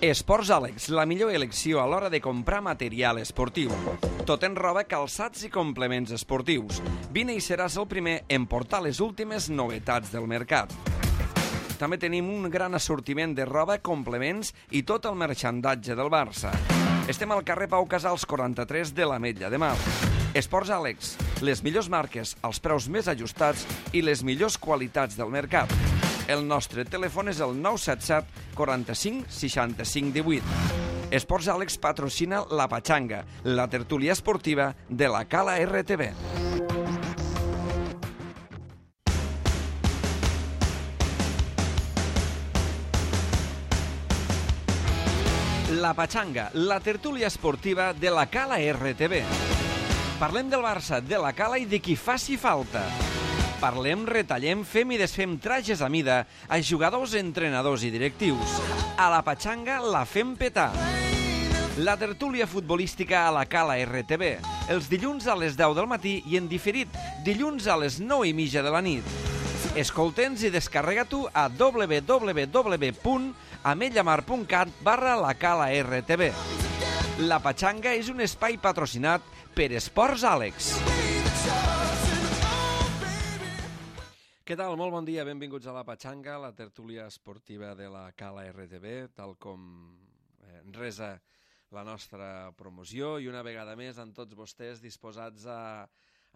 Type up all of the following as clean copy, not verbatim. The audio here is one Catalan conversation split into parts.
Esports Àlex, la millor elecció a l'hora de comprar material esportiu. Tot en roba, calçats i complements esportius. Vine i seràs el primer en portar les últimes novetats del mercat. També tenim un gran assortiment de roba, complements i tot el marxandatge del Barça. Estem al carrer Pau Casals 43 de l'Ametlla de Mar. Esports Àlex, les millors marques, els preus més ajustats i les millors qualitats del mercat. El nostre telèfon és el 977 45 65 18. Esports Àlex patrocina La Pachanga, la tertúlia esportiva de la Cala RTV. La Pachanga, la tertúlia esportiva de la Cala RTV. Parlem del Barça, de la Cala i de qui faci falta. Parlem, retallem, fem i desfem trajes a mida a jugadors, entrenadors i directius. A la Pachanga la fem petar. La tertúlia futbolística a la Cala RTV, els dilluns a les 10 del matí i en diferit dilluns a les 9:30 de la nit. Escolta'ns i descarrega-t'ho a www.ametllamar.cat/la Cala RTV. La Pachanga és un espai patrocinat per Esports Àlex. Què tal? Molt bon dia, benvinguts a La Pachanga, la tertúlia esportiva de la Cala RTV, tal com resa la nostra promoció, i una vegada més amb tots vostès disposats a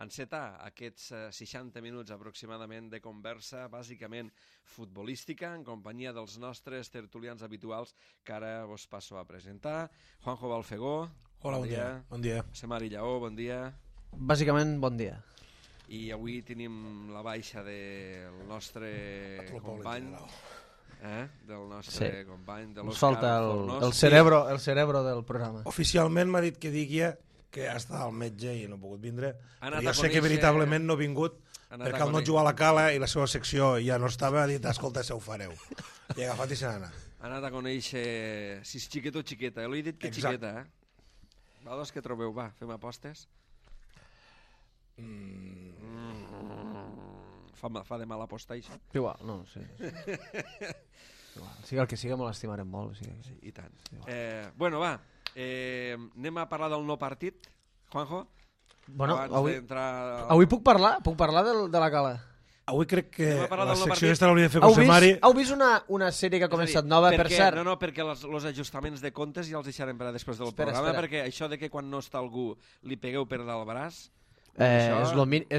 encetar aquests 60 minuts aproximadament de conversa, bàsicament futbolística, en companyia dels nostres tertulians habituals que ara vos passo a presentar. Juanjo Balfegó, hola, bon dia. Bon dia. José Mari Lleó, bon dia. Bàsicament, bon dia. I avui tenim la baixa del nostre company, del nostre company, de l'Òscar falta Fornós. el cerebro del programa. Oficialment m'ha dit que digui que ha estat al metge i no ha pogut vindre. Però jo sé que conèixer... veritablement no ha vingut perquè al no jugar a la Cala i la seva secció ja no estava, ha dit, escolta, se ho fareu. I ha agafat i se n'ha anat. Ha anat a conèixer si és xiquet o xiqueta. L'he dit que Exacte. Xiqueta, Vosaltres què trobeu? Va, fem apostes? Fa de mal apostar, això? Igual, no, sí. Igual. Sigui el que siga, me l'estimarem molt. Sí, i tant. Bueno, va, anem a parlar del no partit, Juanjo? Bueno, d'entrar... avui puc parlar? Puc parlar de la Cala? Avui crec que la secció partit. aquesta l'hauria de fer José Mari. Heu vist una sèrie que ha començat nova, per cert? No, perquè els ajustaments de comptes ja els deixarem per a després del programa, perquè això de que quan no està algú li pegueu per dalt el braç... És lo mínim.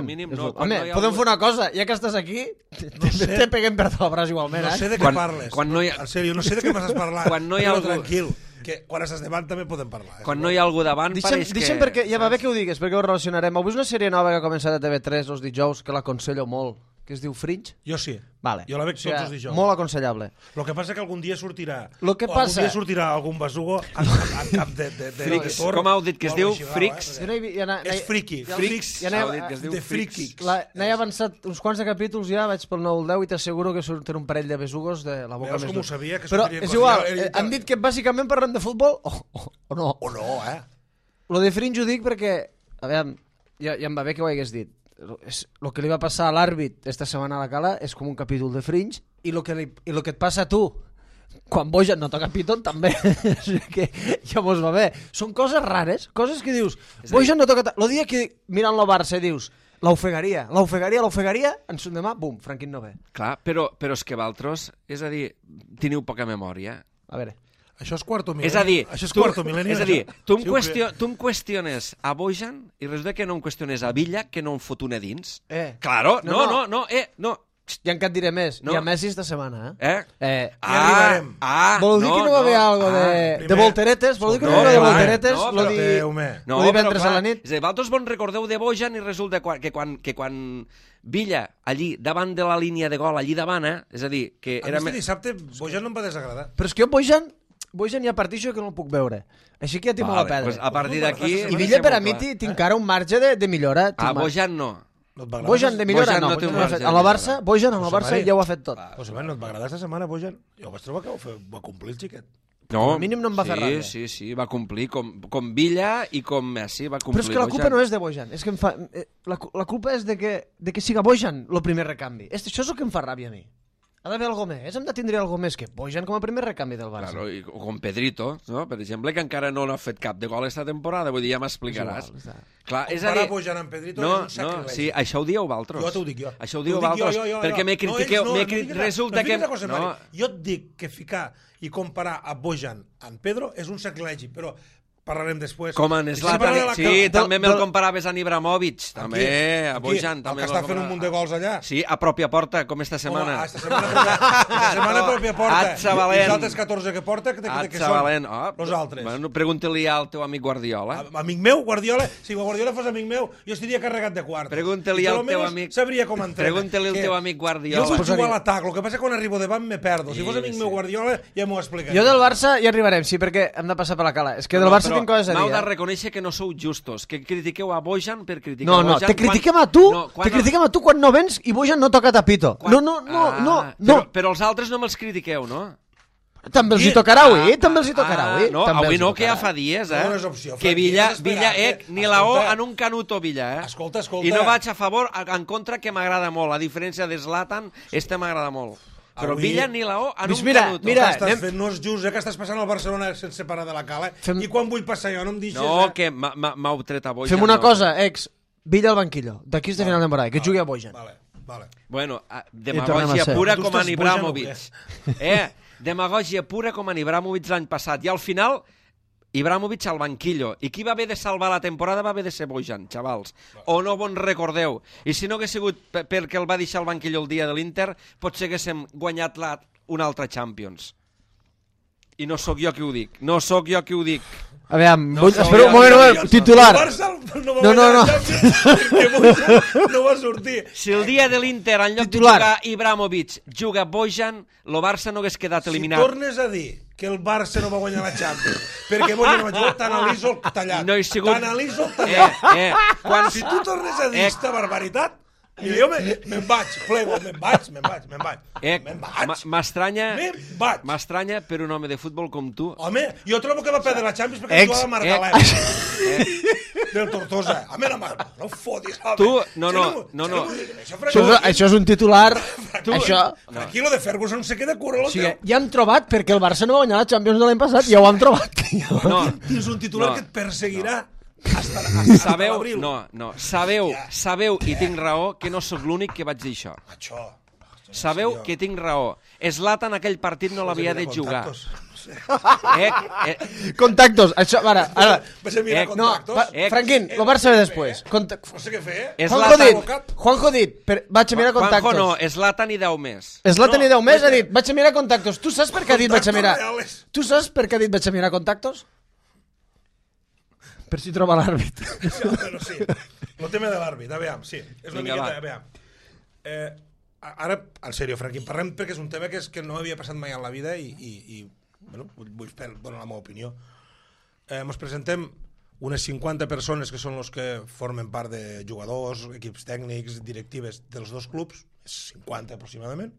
Home, no podem fer una cosa, ja que estàs aquí, te peguem per tot el braç igualment, No sé de què parles. En sèrio, no sé de què m'estàs parlant. Però tranquil, que quan estàs davant també podem parlar. Quan no hi ha algú davant pareix que... Deixa'm perquè, ja va bé que ho digues, perquè ho relacionarem. Avui és una sèrie nova que ha començat a TV3 els dijous, que l'aconsello molt, que es diu Fringe. Jo sí. Vale. Jo la veig tots els dijous. Molt aconsellable. El que passa que algun dia sortirà algun besugo en cap de Frics. Com heu dit que es diu? Frics? És friki. De Frikiks. N'he avançat uns quants de capítols ja, vaig pel 9 o 10 i t'asseguro que surten un parell de besugos de la boca més dura. Veus com ho sabia? Però és igual, han dit que bàsicament parlem de futbol o no. O no, Lo de Fringe ho dic perquè, a veure, ja em va bé que ho hagués dit. El que li va passar a l'àrbit esta setmana a la Cala és com un capítol de Fringe i el que et passa a tu quan Bojan no toca Piton també que ja mos va bé. Són coses rares, coses que dius Bojan no toca... El dia que mirant el Barça dius l'ofegaria, en son demà, bum, Franquín no ve. Clar, però és que vosaltres, és a dir, teniu poca memòria. A veure... Això és quarto mil·lenni. És a dir, tu em qüestiones a Bojan i resulta que no em qüestiones a Villa, que no em fot una dins. Claro, no. Ja encara et diré més. Hi ha Messi esta setmana, Ja arribarem. Vol dir que no va haver algo de volteretes? Vol dir que no va haver de volteretes? Lo divendres a la nit? És a dir, vosaltres vos recordeu de Bojan i resulta que quan Villa, allí, davant de la línia de gol, allí davant, és a dir, que... A mi dissabte Bojan no em va desagradar. Però és que jo Bojan hi ha partits que no el puc veure. Així que ja tinc molt a perdre. A partir d'aquí... I Villa per a mi tinc encara un marge de millora. Bojan no. Bojan de millora no. A la Barça, Bojan a la Barça ja ho ha fet tot. José Mari, no et va agradar aquesta setmana, Bojan? Jo vaig trobar que va complir el xiquet. Com a mínim no em va fer ràbia. Sí, va complir com Villa i com Messi va complir. Però és que la culpa no és de Bojan. És que la culpa és de que siga Bojan el primer recanvi. Això és el que em fa ràbia a mi. Ha d'haver alguna més, hem de tindre alguna més que Bojan com a primer recanvi del Barça. Claro, o com Pedrito, no? Per exemple, que encara no n'ha fet cap de gol esta temporada, vull dir, ja m'explicaràs. Clar, és a dir... Comparar Bojan amb Pedrito no, és un sacrilegi. No, sí, això ho dieu vosaltres. Jo t'ho dic jo. Això ho dieu vosaltres, perquè me critiqueu... Resulta que... Jo et dic que ficar i comparar a Bojan amb Pedro és un sacrilegi, però parlarem després. Com en Zlatan, sí, també me'l comparaves a Ibrahimovic, també, a Bojan. El que està fent un munt de gols allà. Sí, a pròpia porta, com esta setmana. Esta setmana a pròpia porta. Atzavalent. I els altres 14 que porta, que són els altres. Bueno, pregunta-li al teu amic Guardiola. Amic meu, Guardiola? Si Guardiola fos amic meu, jo estaria carregat de quartos. Pregunta-li al teu amic... Sabria com entrena. Pregunta-li al teu amic Guardiola. Jo vull jugar a l'atac, el que passa que quan arribo davant me perdo. Si fos amic meu Guardiola, ja m'ho explicaria. Jo del Barça ja arribarem, sí, perquè hem de passar per la cala. És que del Barça tinc coses a dir, reconèixer que no sou justos, que critiqueu a Bojan per criticar a Bojan. No, te critiquem a tu, te critiquem a tu quan no vens i Bojan no toca tapito. No. Però els altres no me'ls critiqueu, no? També els hi tocarà avui, també els hi tocarà avui. No, avui no, que ja fa dies, que Villa, ni la O en un canuto Villa, Escolta. I no vaig a favor, en contra, que m'agrada molt. A diferència de Zlatan, este m'agrada molt. Però Villa ni la O en un canuto. Mira, estàs fent, no és just, que estàs passant al Barcelona sense parar de la cala, i quan vull passar jo no em deixes... No, que m'heu tret a Bojan. Fem una cosa, Villa al banquillo, d'aquí és de final de temporada, que jugui a Bojan. Vale. Bueno, demagògia pura com en Ibrahimovic. Demagògia pura com en Ibrahimovic l'any passat. I al final... Ibrahimovic al banquillo. I qui va haver de salvar la temporada va haver de ser Bojan, xavals. O no vos recordeu. I si no hagués sigut perquè el va deixar al banquillo el dia de l'Inter, potser haguéssim guanyat un altre Champions. I no sóc jo qui ho dic. No sóc jo qui ho dic. Aviam, espera un moment, titular. No va sortir. Si el dia de l'Inter, en lloc de jugar Ibrahimovic, juga Bojan, el Barça no hagués quedat eliminat. Si tornes a dir que el Barça no va guanyar la Champions perquè Bojan no va jugar, t'analitzo el tallat. T'analitzo el tallat. Si tu tornes a dir aquesta barbaritat, i jo me'n vaig, plego, me'n vaig. M'estranya per un home de futbol com tu. Home, jo trobo que va perdre la Champions perquè jugava a Margalef. Del Tortosa. Home, no fotis. Tu, no. Això és un titular. Aquí lo de Ferguson se queda cura. Ja hem trobat perquè el Barça no va guanyar la Champions de l'any passat, ja ho hem trobat. Tens un titular que et perseguirà. Sabeu, i tinc raó, que no sóc l'únic que vaig dir això. Sabeu que tinc raó. Zlatan aquell partit no l'havia de jugar. Contactos. Això, ara. Vaig a mirar contactos. Franquín, lo Barça ve després. No sé què fer, Juanjo dit, vaig a mirar contactos. Juanjo no, Zlatan i 10 més. Zlatan i 10 més ha dit, vaig a mirar contactos. Tu saps per què ha dit vaig a mirar? Tu saps per què ha dit vaig a mirar contactos? Per si troba l'àrbit. Sí, el tema de l'àrbit, aviam, sí. És una miqueta, aviam. Ara, en sèrio, Franquín, parlem perquè és un tema que no havia passat mai en la vida i vull donar la meva opinió. Ens presentem unes 50 persones que són els que formen part de jugadors, equips tècnics, directives dels dos clubs, 50 aproximadament.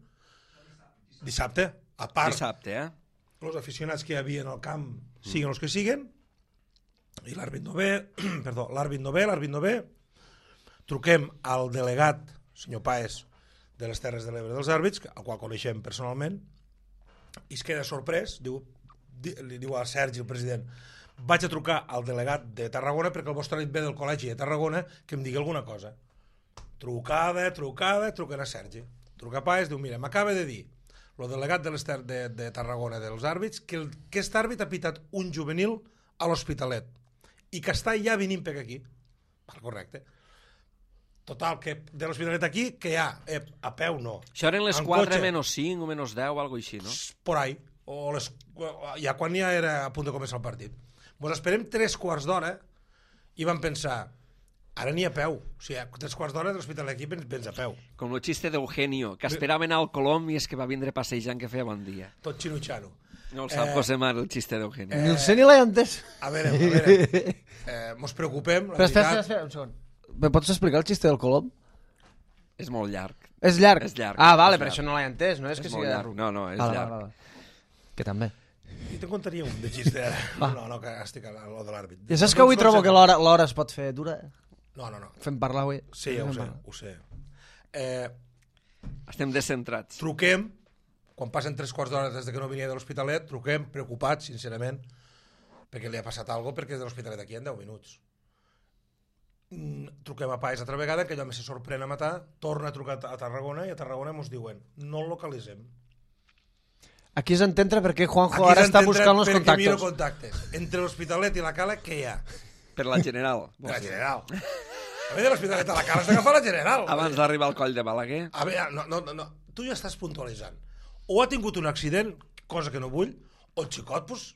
Dissabte, a part, els aficionats que hi havia en el camp siguin els que siguin, i l'àrbit no ve, truquem al delegat, senyor Paes, de les Terres de l'Ebre dels àrbits, al qual coneixem personalment, i es queda sorprès, li diu a Sergi, el president, vaig a trucar al delegat de Tarragona perquè el vostre nit ve del col·legi de Tarragona que em digui alguna cosa. Trucada, truquen a Sergi. Truca a Paes, diu, mira, m'acaba de dir el delegat de Tarragona dels àrbits que aquest àrbit ha pitat un juvenil a l'Hospitalet i que està ja venint per aquí. Correcte. Total, que de l'Hospitalet aquí, que hi ha? A peu no. Això eren les 4 menys 5 o menys 10 o alguna cosa així, no? Por ahí. Ja quan ja era a punt de començar el partit. Ens esperem 3/4 d'hora i vam pensar, ara n'hi a peu. O sigui, 3/4 d'hora de l'Hospitalet aquí vens a peu. Com el xiste d'Eugenio, que esperaven al Colom i és que va vindre passejant que feia bon dia. Tot xino-xano. No el sap José Mar, el xiste d'Eugenio. Ni el sé ni l'he entès. A veure, mos preocupem, la veritat... Espera, un segon. Me pots explicar el xiste del Colom? És molt llarg. És llarg? És llarg. Ah, vale, però això no l'he entès, no és que sigui llarg. No, és llarg. Que també. I te'n contaria un de xiste ara. No, que estic a lo de l'àrbit. Ja saps que avui trobo que l'hora es pot fer dura? No. Fem parlar avui? Sí, ja ho sé. Estem descentrats. Truquem quan passen 3 quarts d'hora des que no venia de l'Hospitalet, truquem, preocupats, sincerament, perquè li ha passat alguna cosa, perquè de l'Hospitalet aquí en 10 minuts. Truquem a Paes altra vegada, que allò més se sorprèn a matar, torna a trucar a Tarragona i a Tarragona ens diuen, no el localitzem. Aquí és entendre per què Juanjo ara està buscant els contactes. Miro contactes. Entre l'Hospitalet i la Cala, què hi ha? Per la General. Per la General. A veure, l'Hospitalet a la Cala has d'agafar la General. Abans d'arribar al coll de Balaguer. A veure, no. Tu ja estàs puntualitzant. O ha tingut un accident, cosa que no vull, o el xicot, doncs,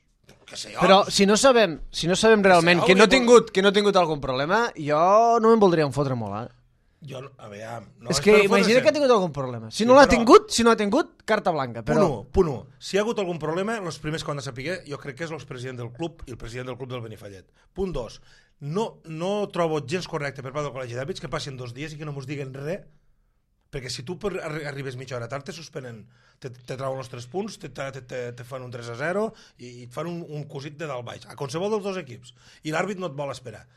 què sé jo. Però si no sabem realment que no ha tingut algun problema, jo no me'n voldria fotre molt, Jo, a veure... És que imagina que ha tingut algun problema. Si no l'ha tingut, carta blanca. Punt 1. Si hi ha hagut algun problema, els primers que han de saber, jo crec que és el president del club i el president del club del Benifallet. Punt 2. No trobo gens correcte per part del col·legi d'àrbits que passin 2 dies i que no mos diguen res, perquè si tu arribes mitja hora tard te suspenen, te trauen els 3 punts, te fan un 3-0 i et fan un cosit de dalt baix, a qualsevol dels 2 equips, i l'àrbit no et vol esperar.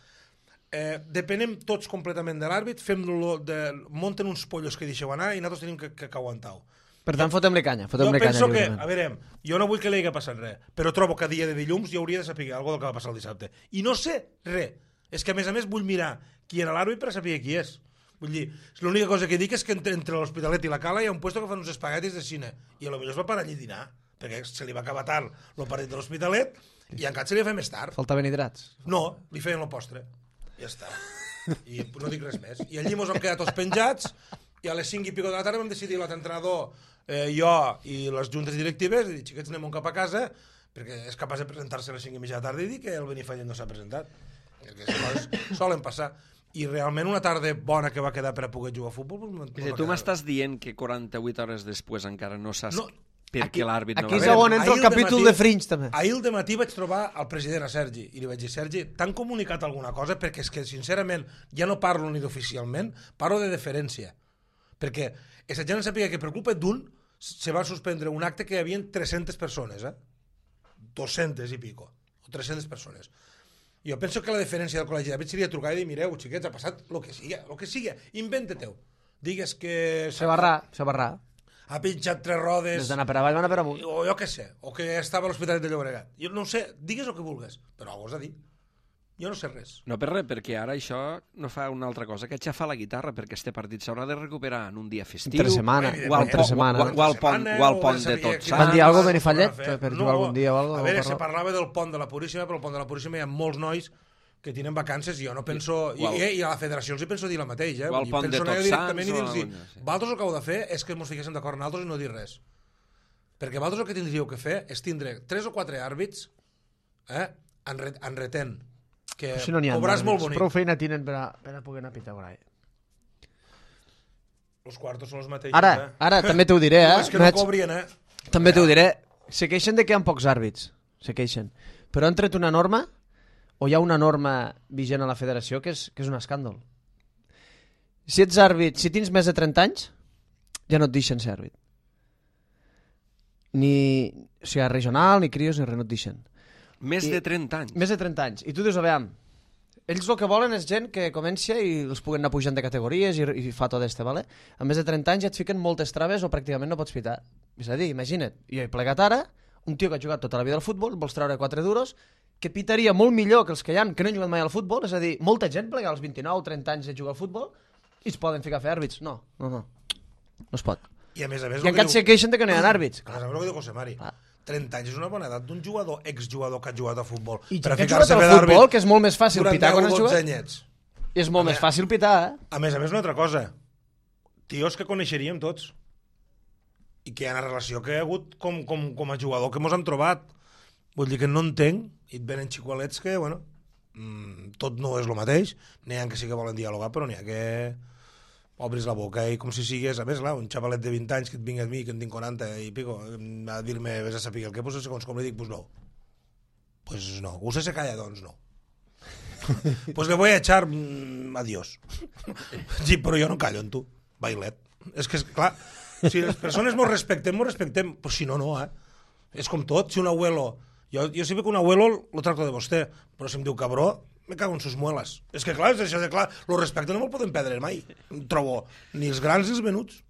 Depenem tots completament de l'àrbit, munten uns pollos que deixeu anar i nosaltres tenim que aguantar-ho. Per tant, fotem-li canya. Jo penso que, a veure, jo no vull que li hagi passat res, però trobo que a dia de dilluns jo hauria de saber alguna del que va passar el dissabte. I no sé res. És que, a més, vull mirar qui era l'àrbit per saber qui és. Vull dir, l'única cosa que dic és que entre l'Hospitalet i la Cala hi ha un puesto que fan uns espaguetis de cine i potser es va parar allí a dinar, perquè se li va acabar tard el partit de l'Hospitalet i encara se li va fer més tard. Faltaven hidrats? No, li feien el postre. Ja està. I no dic res més. I allí mos hem quedat tots penjats i a les 5 i pico de la tarda vam decidir l'entrenador, jo i les juntes directives, i dir, xiquets, anem cap a casa, perquè és capaç de presentar-se a les 5 i mitja de la tarda i dir que el Benifallet no s'ha presentat. Perquè les coses solen passar. I realment una tarda bona que va quedar per a poder jugar a futbol... Tu m'estàs dient que 48 hores després encara no saps perquè l'àrbit no va... Aquí és on entra el capítol de Fringe, també. Ahir al dematí vaig trobar el president, a Sergi, i li vaig dir, Sergi, t'han comunicat alguna cosa? Perquè és que, sincerament, ja no parlo ni d'oficialment, parlo de deferència. Perquè aquesta gent sàpiga que per culpa d'un se va suspendre un acte que hi havia 300 persones, 200 i pico, o 300 persones. Jo penso que la deferència del col·legi d'àrbits seria trucar i dir, mireu, xiquets, ha passat el que sigui, inventa-te-ho. Digues que... Se barrà. Ha pinxat 3 rodes... Des d'anar per avall, van a per amunt. O jo què sé, o que estava a l'Hospitalet de Llobregat. Jo no sé, digues el que vulguis, però ho has de dir. Jo no sé res. No per res, perquè ara això no fa una altra cosa que aixafar la guitarra, perquè este partit s'haurà de recuperar en un dia festiu. Entre setmana. O al pont de Tots Sants. Van dir alguna cosa Benifallet per jugar algun dia o alguna cosa? A veure, se parlava del pont de la Puríssima, però al pont de la Puríssima hi ha molts nois que tenen vacances i jo no penso... I a la federació els hi penso dir la mateixa. O al pont de Tots Sants. Vosaltres el que heu de fer és que ens fiquéssim d'acord en altres i no dir res. Perquè vosaltres el que tindríeu que fer és tindre 3 o 4 àrbits enretent, que cobràs molt bonic. Prou feina tenen per a poder anar a pitar por ahí. Els quartos són els mateixos. Ara també t'ho diré, és que no cobrien, També t'ho diré. Se queixen de que hi ha pocs àrbits. Se queixen. Però han tret una norma, o hi ha una norma vigent a la federació que és un escàndol. Si ets àrbit, si tens més de 30 anys, ja no et deixen ser àrbit. Ni regional, ni crios, ni res, no et deixen. Més de 30 anys? Més de 30 anys. I tu dius, a veure, ells el que volen és gent que comença i els puguen anar pujant de categories i fa tot este, vale? A més de 30 anys ja et fiquen moltes traves o pràcticament no pots pitar. És a dir, imagina't, jo he plegat ara, un tio que ha jugat tota la vida al futbol, vols treure 4 duros, que pitaria molt millor que els que hi ha, que no han jugat mai al futbol, és a dir, molta gent plega als 29 o 30 anys de jugar al futbol i es poden ficar a fer àrbits. No es pot. I a més, I encara se queixen que no hi ha àrbits. A més, el que diu José Mari, 30 anys és una bona edat d'un jugador, exjugador que ha jugat a futbol. I que ha jugat al futbol, que és molt més fàcil pitar quan has jugat. Anyets. És molt més fàcil pitar, A més, una altra cosa. Tios que coneixeríem tots. I que hi ha una relació que hi ha hagut com a jugador que mos hem trobat. Vull dir que no entenc, i et venen xicolets que, bueno, tot no és el mateix, n'hi ha que sí que volen dialogar, però n'hi ha que obris la boca i com si sigués, a més, un xavalet de 20 anys que et vingui a mi, que en tinc 40 i pico, a dir-me, vés a saber el que, pues segons com li dic, pues no. Pues no. Usted se calla, doncs no. Pues le voy a echar adiós. Sí, però jo no callo en tu, bailet. És que, clar, si les persones mos respectem, pues si no, És com tot, si un abuelo... Jo sé que un abuelo lo tracto de vostè, però si em diu cabró, me cago en sus muelas. És que clar, és això de clar, lo respecte no me'l podem perdre mai, trobo, ni els grans ni els menuts.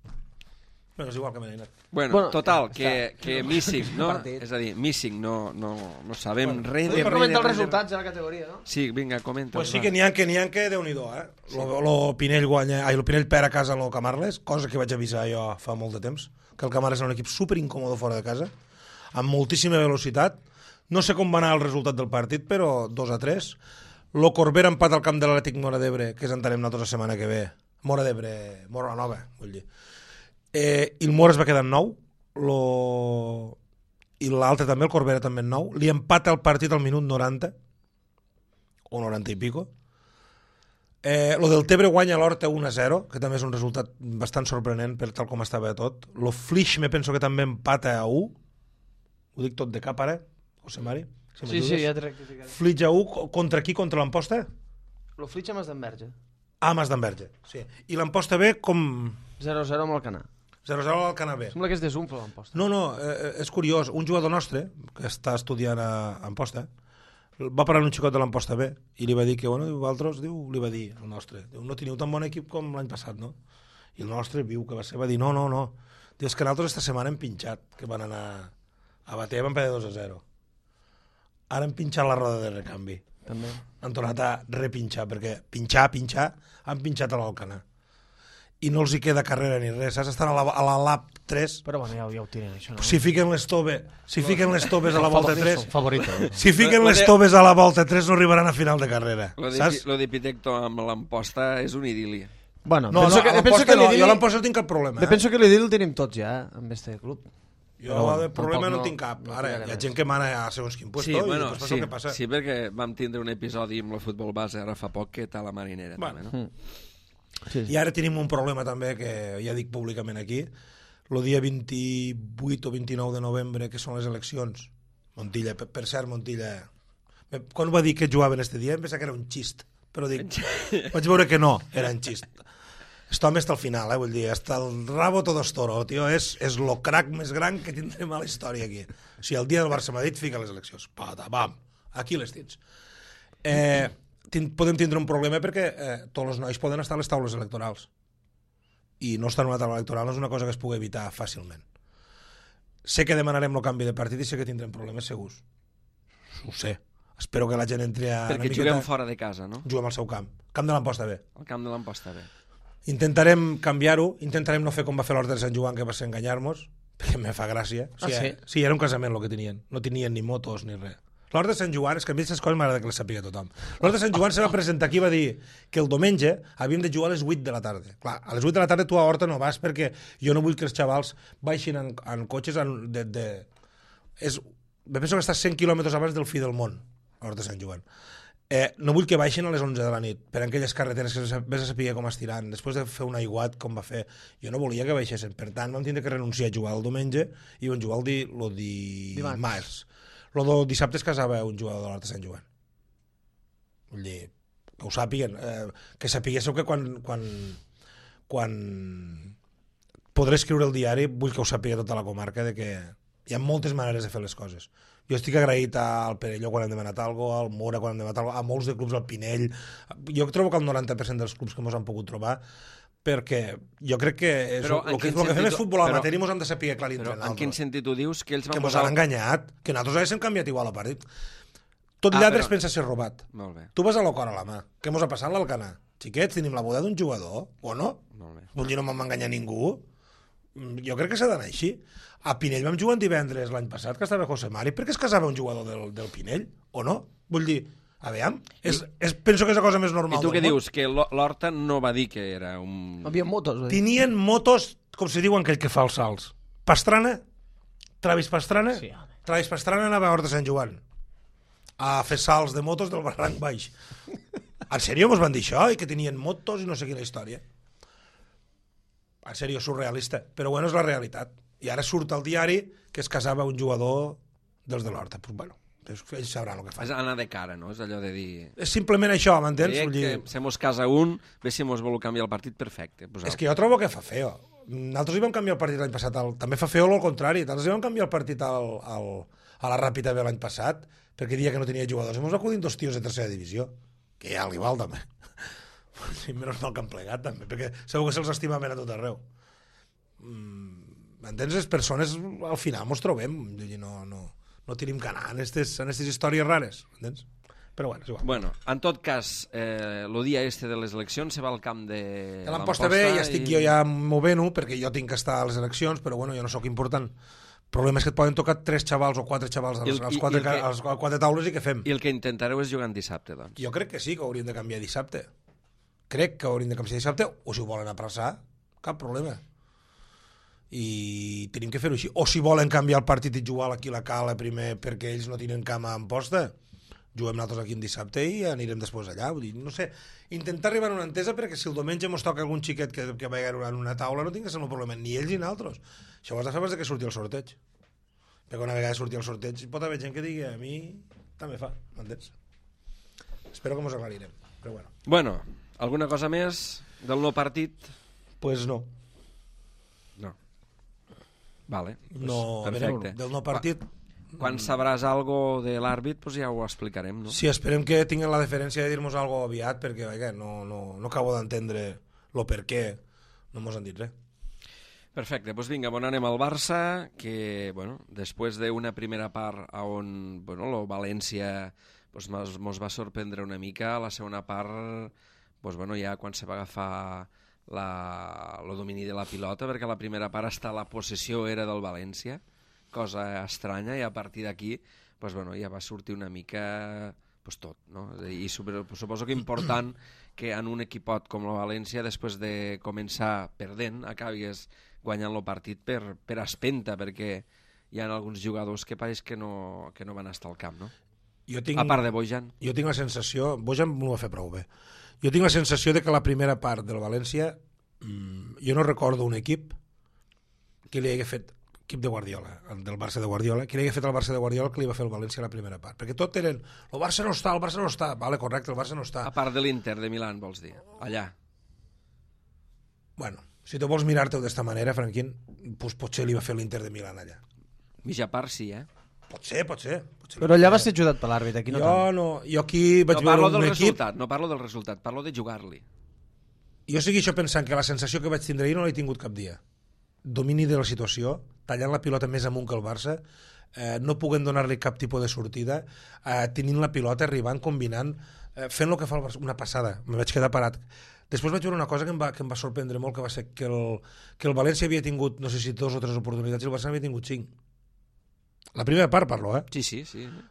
Bueno, és igual que Mena. Bueno, total, que Missing, no? És a dir, Missing, no sabem res de... Comenta els resultats de la categoria, no? Sí, vinga, comenta. Pues sí que n'hi ha que Déu-n'hi-do, eh? Lo Pinell lo Pinell perd a casa lo Camarles, cosa que vaig avisar jo fa molt de temps, que el Camarles era un equip superincòmode fora de casa, amb moltíssima velocitat. No sé com va anar el resultat del partit, però 2-3. Lo Corbera empat al camp de l'Atlètic Móra d'Ebre, que és entenem nosaltres la setmana que ve. Móra d'Ebre, Móra la Nova, vull dir. I el Mora es va quedar en 9, i l'altre també, el Corbera també en 9, li empata el partit al minut 90, o 90 i pico. Lo del Tebre guanya l'Horta 1-0, que també és un resultat bastant sorprenent per tal com estava tot. Lo Flix me penso que també empata a 1, ho dic tot de cap ara, José Mari? Sí, ja t'he rectificat. Flix a 1, contra qui? Contra l'Amposta? Lo Flix amb Esdenberge. Mas d'Enverge, sí. I l'Amposta B com... 0-0 amb el Canà. 0-0 al Canà B. Sembla que és desunfla l'Amposta. No, és curiós. Un jugador nostre, que està estudiant a Amposta, va parlar amb un xicot de l'Amposta B i li va dir que, bueno, vosaltres, li va dir, el nostre, no teniu tan bon equip com l'any passat, no? I el nostre viu que va ser, va dir, no. Diu, és que nosaltres esta setmana hem pinxat, que van anar a bater, van perdre 2-0. Ara hem pinxat la roda de recanvi. També. Han tornat a repinxar, perquè pinxar, han pinxat a l'Alcanar. I no els hi queda carrera ni res, saps? Estan a la lap 3. Però bueno, ja ho tiren, això, no? Si fiquen les toves a la volta 3... Favorito. Si fiquen les toves a la volta 3 no arribaran a final de carrera, saps? Lo de Pitecto amb l'Amposta és un idili. Bueno, no, penso que no, jo a l'Amposta no tinc cap problema. Penso que l'idil el tenim tots ja, amb este club. Jo de problema no tinc cap. Ara, hi ha gent que mana a segons quin puesto i després passa el que passa. Sí, perquè vam tindre un episodi amb el futbol base ara fa poc que tal la marinera. Bueno. També, no? Sí. I ara tenim un problema també que ja dic públicament aquí, el dia 28 o 29 de novembre, que són les eleccions. Montilla, per cert, Montilla, quan va dir que jugaven este dia em pensava que era un xist, però dic, vaig veure que no, era un xist. Este home està al final, vull dir, hasta el rabo todo es toro, tio, és lo crack més gran que tindrem a la història aquí. O sigui, el dia del Barça-Madrid fica les eleccions, pata, bam, aquí les tens. Podem tindre un problema perquè tots els nois poden estar a les taules electorals i no estar en una taula electoral no és una cosa que es pugui evitar fàcilment. Sé que demanarem el canvi de partit i sé que tindrem problemes segurs, ho sé, espero que la gent entri a perquè juguem fora de casa, no? Juguem al seu camp de l'Amposta B. El camp de l'Amposta B. Intentarem canviar-ho, intentarem no fer com va fer l'Horta de Sant Joan, que va ser enganyar-nos, perquè me fa gràcia. Sí, era un casament el que tenien, no tenien ni motos ni res. L'Horta de Sant Joan, és que a mi aquestes coses m'agrada que les sàpiga tothom. L'Horta de Sant Joan se va presentar aquí i va dir que el diumenge havíem de jugar a les 8 de la tarda. Clar, a les 8 de la tarda tu a Horta no vas perquè jo no vull que els xavals baixin en cotxes me penso que està 100 quilòmetres abans del fi del món, Horta de Sant Joan. No vull que baixin a les 11 de la nit per aquelles carreteres que vés a saber com estiran després de fer un aiguat com va fer. Jo no volia que baixessin, per tant vam tindre que renunciar a jugar el diumenge i vam jugar el dimarts. El dissabte es casava un jugador de l'Horta de Sant Joan. Vull dir, que ho sàpiguen, que sapiguéssiu que quan podré escriure el diari vull que ho sàpiga tota la comarca de que hi ha moltes maneres de fer les coses. Jo estic agraït al Perelló quan hem demanat alguna cosa, al Mora quan hem demanat alguna cosa, a molts de clubs, al Pinell. Jo trobo que el 90% dels clubs que ens han pogut trobar, perquè jo crec que el que fem és futbol amateur i ens hem de saber clar entre nosaltres. En quin sentit ho dius? Que ells van ens han enganyat, que nosaltres haguéssim canviat igual a partit. Tot lladre es pensa ser robat. Molt bé. Tu vas a l'Ocor a la mà. Què mos ha passat l'Alcanar? Xiquets, tenim la boda d'un jugador, o no? Molt bé. Vull dir, no m'ha enganyat ningú. Jo crec que s'ha d'anar així. A Pinell vam jugar divendres l'any passat, que estava José Mari. Per què es casava un jugador del Pinell? O no? Vull dir, a veure, penso que és la cosa més normal. I tu què dius? Que l'Horta no va dir que era un... Havia motos. Tenien motos, com se diuen aquell que fa els salts. Pastrana, Travis Pastrana, sí, Travis Pastrana anava a Horta de Sant Joan a fer salts de motos del barranc baix. En sèrio mos van dir això? I que tenien motos i no sé quina història. En sèrio, surrealista. Però bueno, és la realitat. I ara surt al diari que es casava un jugador dels de l'Horta. Pues bueno, ells sabran el que fan. És anar de cara, no? És allò de dir... És simplement això, m'entens? Que se mos casa un, bé si mos vol canviar el partit, perfecte. És que jo trobo que fa feo. Nosaltres hi vam canviar el partit l'any passat. També fa feo al contrari. Nosaltres hi vam canviar el partit a la Ràpita B l'any passat perquè dia que no tenia jugadors. Ens acudint 2 tios de tercera divisió, que ja l'igual també. Menys mal que han plegat també, perquè segur que se'ls estimaven a tot arreu. M'entens? Les persones al final mos trobem, no tenim que anar en aquestes històries rares, m'entens? Però bueno, és igual. Bueno, en tot cas, el dia de les eleccions se va al camp de l'Amposta B, ja estic jo ja movent-ho, perquè jo tinc que estar a les eleccions, però bueno, jo no sóc important. El problema és que et poden tocar 3 xavals o 4 xavals als 4 taules i què fem? I el que intentareu és jugar en dissabte, doncs. Jo crec que sí, que hauríem de canviar dissabte. Crec que hauríem de canviar dissabte, o si ho volen aplaçar, cap problema. I tenim que fer-ho així. O si volen canviar el partit i jugar aquí a la Cala primer perquè ells no tenen cama a Amposta, juguem nosaltres aquí en dissabte i anirem després allà. Vull dir, no sé, intentar arribar a una entesa perquè si el diumenge ens toca algun xiquet que vagi en una taula no tinc que ser un problema, ni ells ni nosaltres. Això ho has de fer abans que surti el sorteig. Perquè una vegada surti el sorteig pot haver gent que digui a mi també fa, m'entens? Espero que mos aclarirem, però bueno. Bueno, alguna cosa més del no partit? Pues no. No. Vale, pues no, perfecte. Del no partit... Quan sabràs algo de l'àrbit, pues ja ho explicarem, no? Sí, esperem que tinguin la deferència de dir-nos algo aviat, perquè vaja, no acabo d'entendre el per què no mos han dit res. Perfecte, doncs vinga, anem al Barça, que, bueno, després d'una primera part on, bueno, el València pues, mos va sorprendre una mica, la segona part, pues, bueno, ja quan se va agafar el domini de la pilota, perquè la primera part hasta la possessió era del València, cosa estranya, i a partir d'aquí pues, bueno, ja va sortir una mica pues, tot, no? I suposo que important que en un equipot com el València, després de començar perdent, acabis guanyant el partit per espenta, perquè hi ha alguns jugadors que pareix que no van estar al camp, no? A part de Bojan. Jo tinc la sensació... Bojan no ho va fer prou bé. Jo tinc la sensació de que la primera part del València, jo no recordo un equip que li hagués fet equip de Guardiola, del Barça de Guardiola, que li hagués fet el Barça de Guardiola que li va fer el València a la primera part. Perquè tot eren, el Barça no està. Vale, correcte, el Barça no està. A part de l'Inter de Milán, vols dir? Allà. Bueno, si tu vols mirar-te-ho d'esta manera, Franquín, pues potser li va fer l'Inter de Milán allà. Mitja part sí, Pot ser. Però allà va ser ajudat per l'àrbit, aquí no tant. Jo aquí vaig veure un equip... No parlo del resultat, parlo de jugar-li. Jo segueixo això pensant que la sensació que vaig tindre ahir no l'he tingut cap dia. Domini de la situació, tallant la pilota més amunt que el Barça, no puguem donar-li cap tipus de sortida, tenint la pilota, arribant, combinant, fent el que fa el Barça, una passada, me vaig quedar parat. Després vaig veure una cosa que em va sorprendre molt, que va ser que el València havia tingut, no sé si 2 o 3 oportunitats, i el Barça havia tingut 5. La primera part parlo, Sí.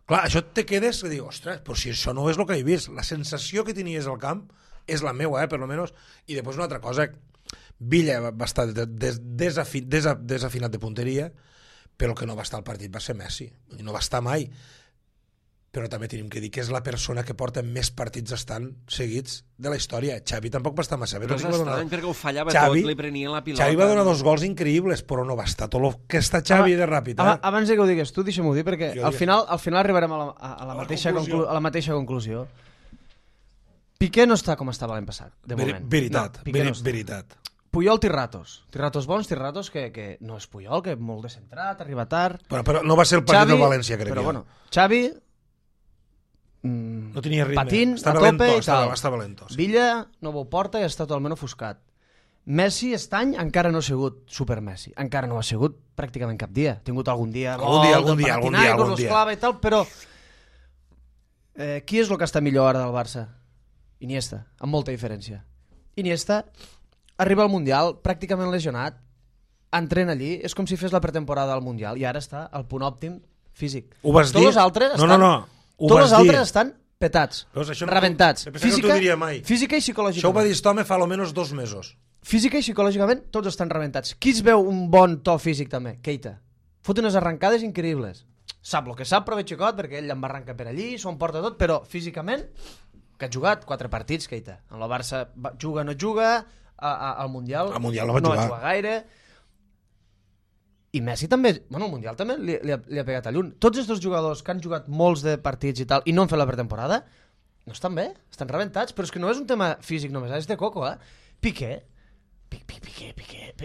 Clar, això te quedes i dius, ostres, però si això no és el que he vist, la sensació que tenies al camp és la meua, per lo menos, i després una altra cosa, Villa va estar desafinat de punteria, però el que no va estar al partit va ser Messi, no va estar mai, però també tenim que dir que és la persona que porta més partits estant seguits de la història. Xavi tampoc va estar massa bé. Però és estrany perquè ho fallava tot, li prenien la pilota. Xavi va donar 2 gols increïbles, però no va estar tot el que està Xavi de ràpid. Abans que ho digues tu, deixa'm-ho dir, perquè al final arribarem a la mateixa conclusió. Piqué no està com estava l'any passat, de moment. Veritat. Puyol té ratos bons, té ratos que no és Puyol, que és molt descentrat, arriba tard... Però no va ser el partit del València, crec. Però bueno, Xavi... no tenia ritme, patint, estava a tope lento, estava lento. Sí. Villa no ho porta i està totalment ofuscat. Messi aquest any encara no ha sigut super Messi, encara no ha sigut pràcticament cap dia. Ha tingut algun dia clave i tal, però qui és el que està millor ara del Barça? Iniesta, amb molta diferència. Iniesta arriba al Mundial pràcticament lesionat, entrena allí, és com si fes la pretemporada al Mundial i ara està al punt òptim físic. Ho vas dir? Tots els altres estan petats, rebentats. Física i psicològicament. Això ho va dir aquest home fa almenys 2 mesos. Física i psicològicament tots estan rebentats. Qui es veu un bon to físic també? Keita. Fot unes arrencades increïbles. Sap el que sap, però ve xicot, perquè ell em va arrencar per allí, s'ho emporta tot, però físicament, que ha jugat 4 partits, Keita. En el Barça juga o no juga, al Mundial no va jugar gaire. I Messi també, bueno, al Mundial també li ha pegat a llun. Tots aquests jugadors que han jugat molts de partits i tal i no han fet la pretemporada, no estan bé, estan rebentats, però és que no és un tema físic només, és de coco, Piqué,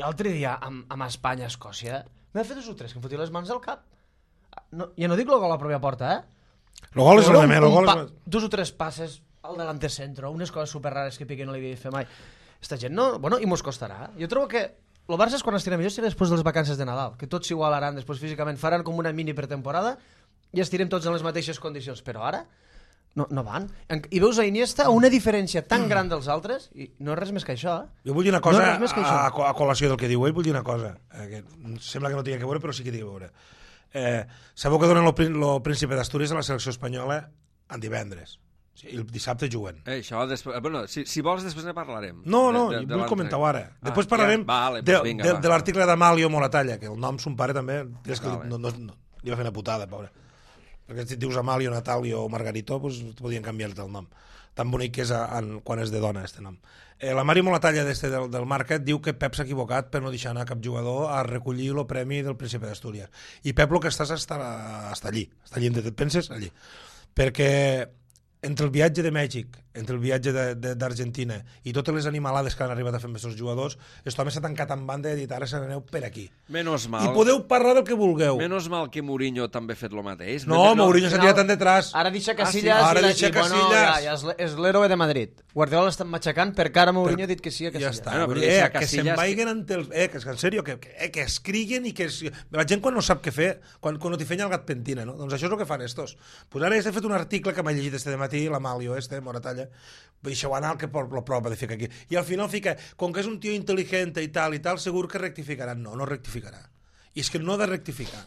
l'altre dia amb Espanya, Escòcia, m'ha fet 2 o 3 que em fotia les mans al cap. Ja no dic el gol a la pròpia porta, El gol és el de més. 2 o 3 passes al delante centro, unes coses super rares que Piqué no li havia fet mai. Esta gent no... Bueno, i mos costarà. Jo trobo que el Barça és quan estirà millor serà després de les vacances de Nadal, que tots s'igualaran després físicament, faran com una mini pretemporada i estirem tots en les mateixes condicions, però ara no van. I veus a Iniesta una diferència tan gran dels altres i no és res més que això. Jo vull dir una cosa a col·lació del que diu ell, vull dir una cosa, que sembla que no tingui que veure, però sí que té que veure. Sabeu que donen el Príncipe d'Astúries a la selecció espanyola en divendres. I el dissabte juguen. Això, si vols, després ne parlarem. No, vull comentar-ho ara. Després parlarem de l'article d'Amalio Moratalla, que el nom son pare també, li va fer una putada, pobre. Perquè si et dius Amalio, Natalio o Margarito, doncs podien canviar-te el nom. Tan bonic que és quan és de dona, este nom. La Mario Moratalla del Market diu que Pep s'ha equivocat per no deixar anar cap jugador a recollir el premi del Príncipe d'Astúries. I Pep el que està allí. Està allí, et penses? Allí. Perquè entre el viatge de Mèxic, entre el viatge d'Argentina i totes les animalades que han arribat a fer amb aquests jugadors, aquest home s'ha tancat en banda i ha dit ara se n'aneu per aquí. Menos mal. I podeu parlar del que vulgueu. Menos mal que Mourinho també ha fet el mateix. No, Mourinho s'ha tirat en detrás. Ara deixa Casillas ja és l'héroe de Madrid. Guardiola l'estan matxacant perquè ara Mourinho ha dit que sí a Casillas. Ja està. Que se'n vagin en sèrio, que escriguen i que... La gent quan no sap què fer, quan no t'hi fenya el gat pentina, no? Doncs això és el que fan estos. Pues ara he fet un article que m'ha llegit este dematí, l'Amalio Moratalla, deixeu anar el que la prova de ficar aquí. I al final fica, com que és un tio intel·ligent i tal, segur que rectificarà. No rectificarà. I és que no ha de rectificar.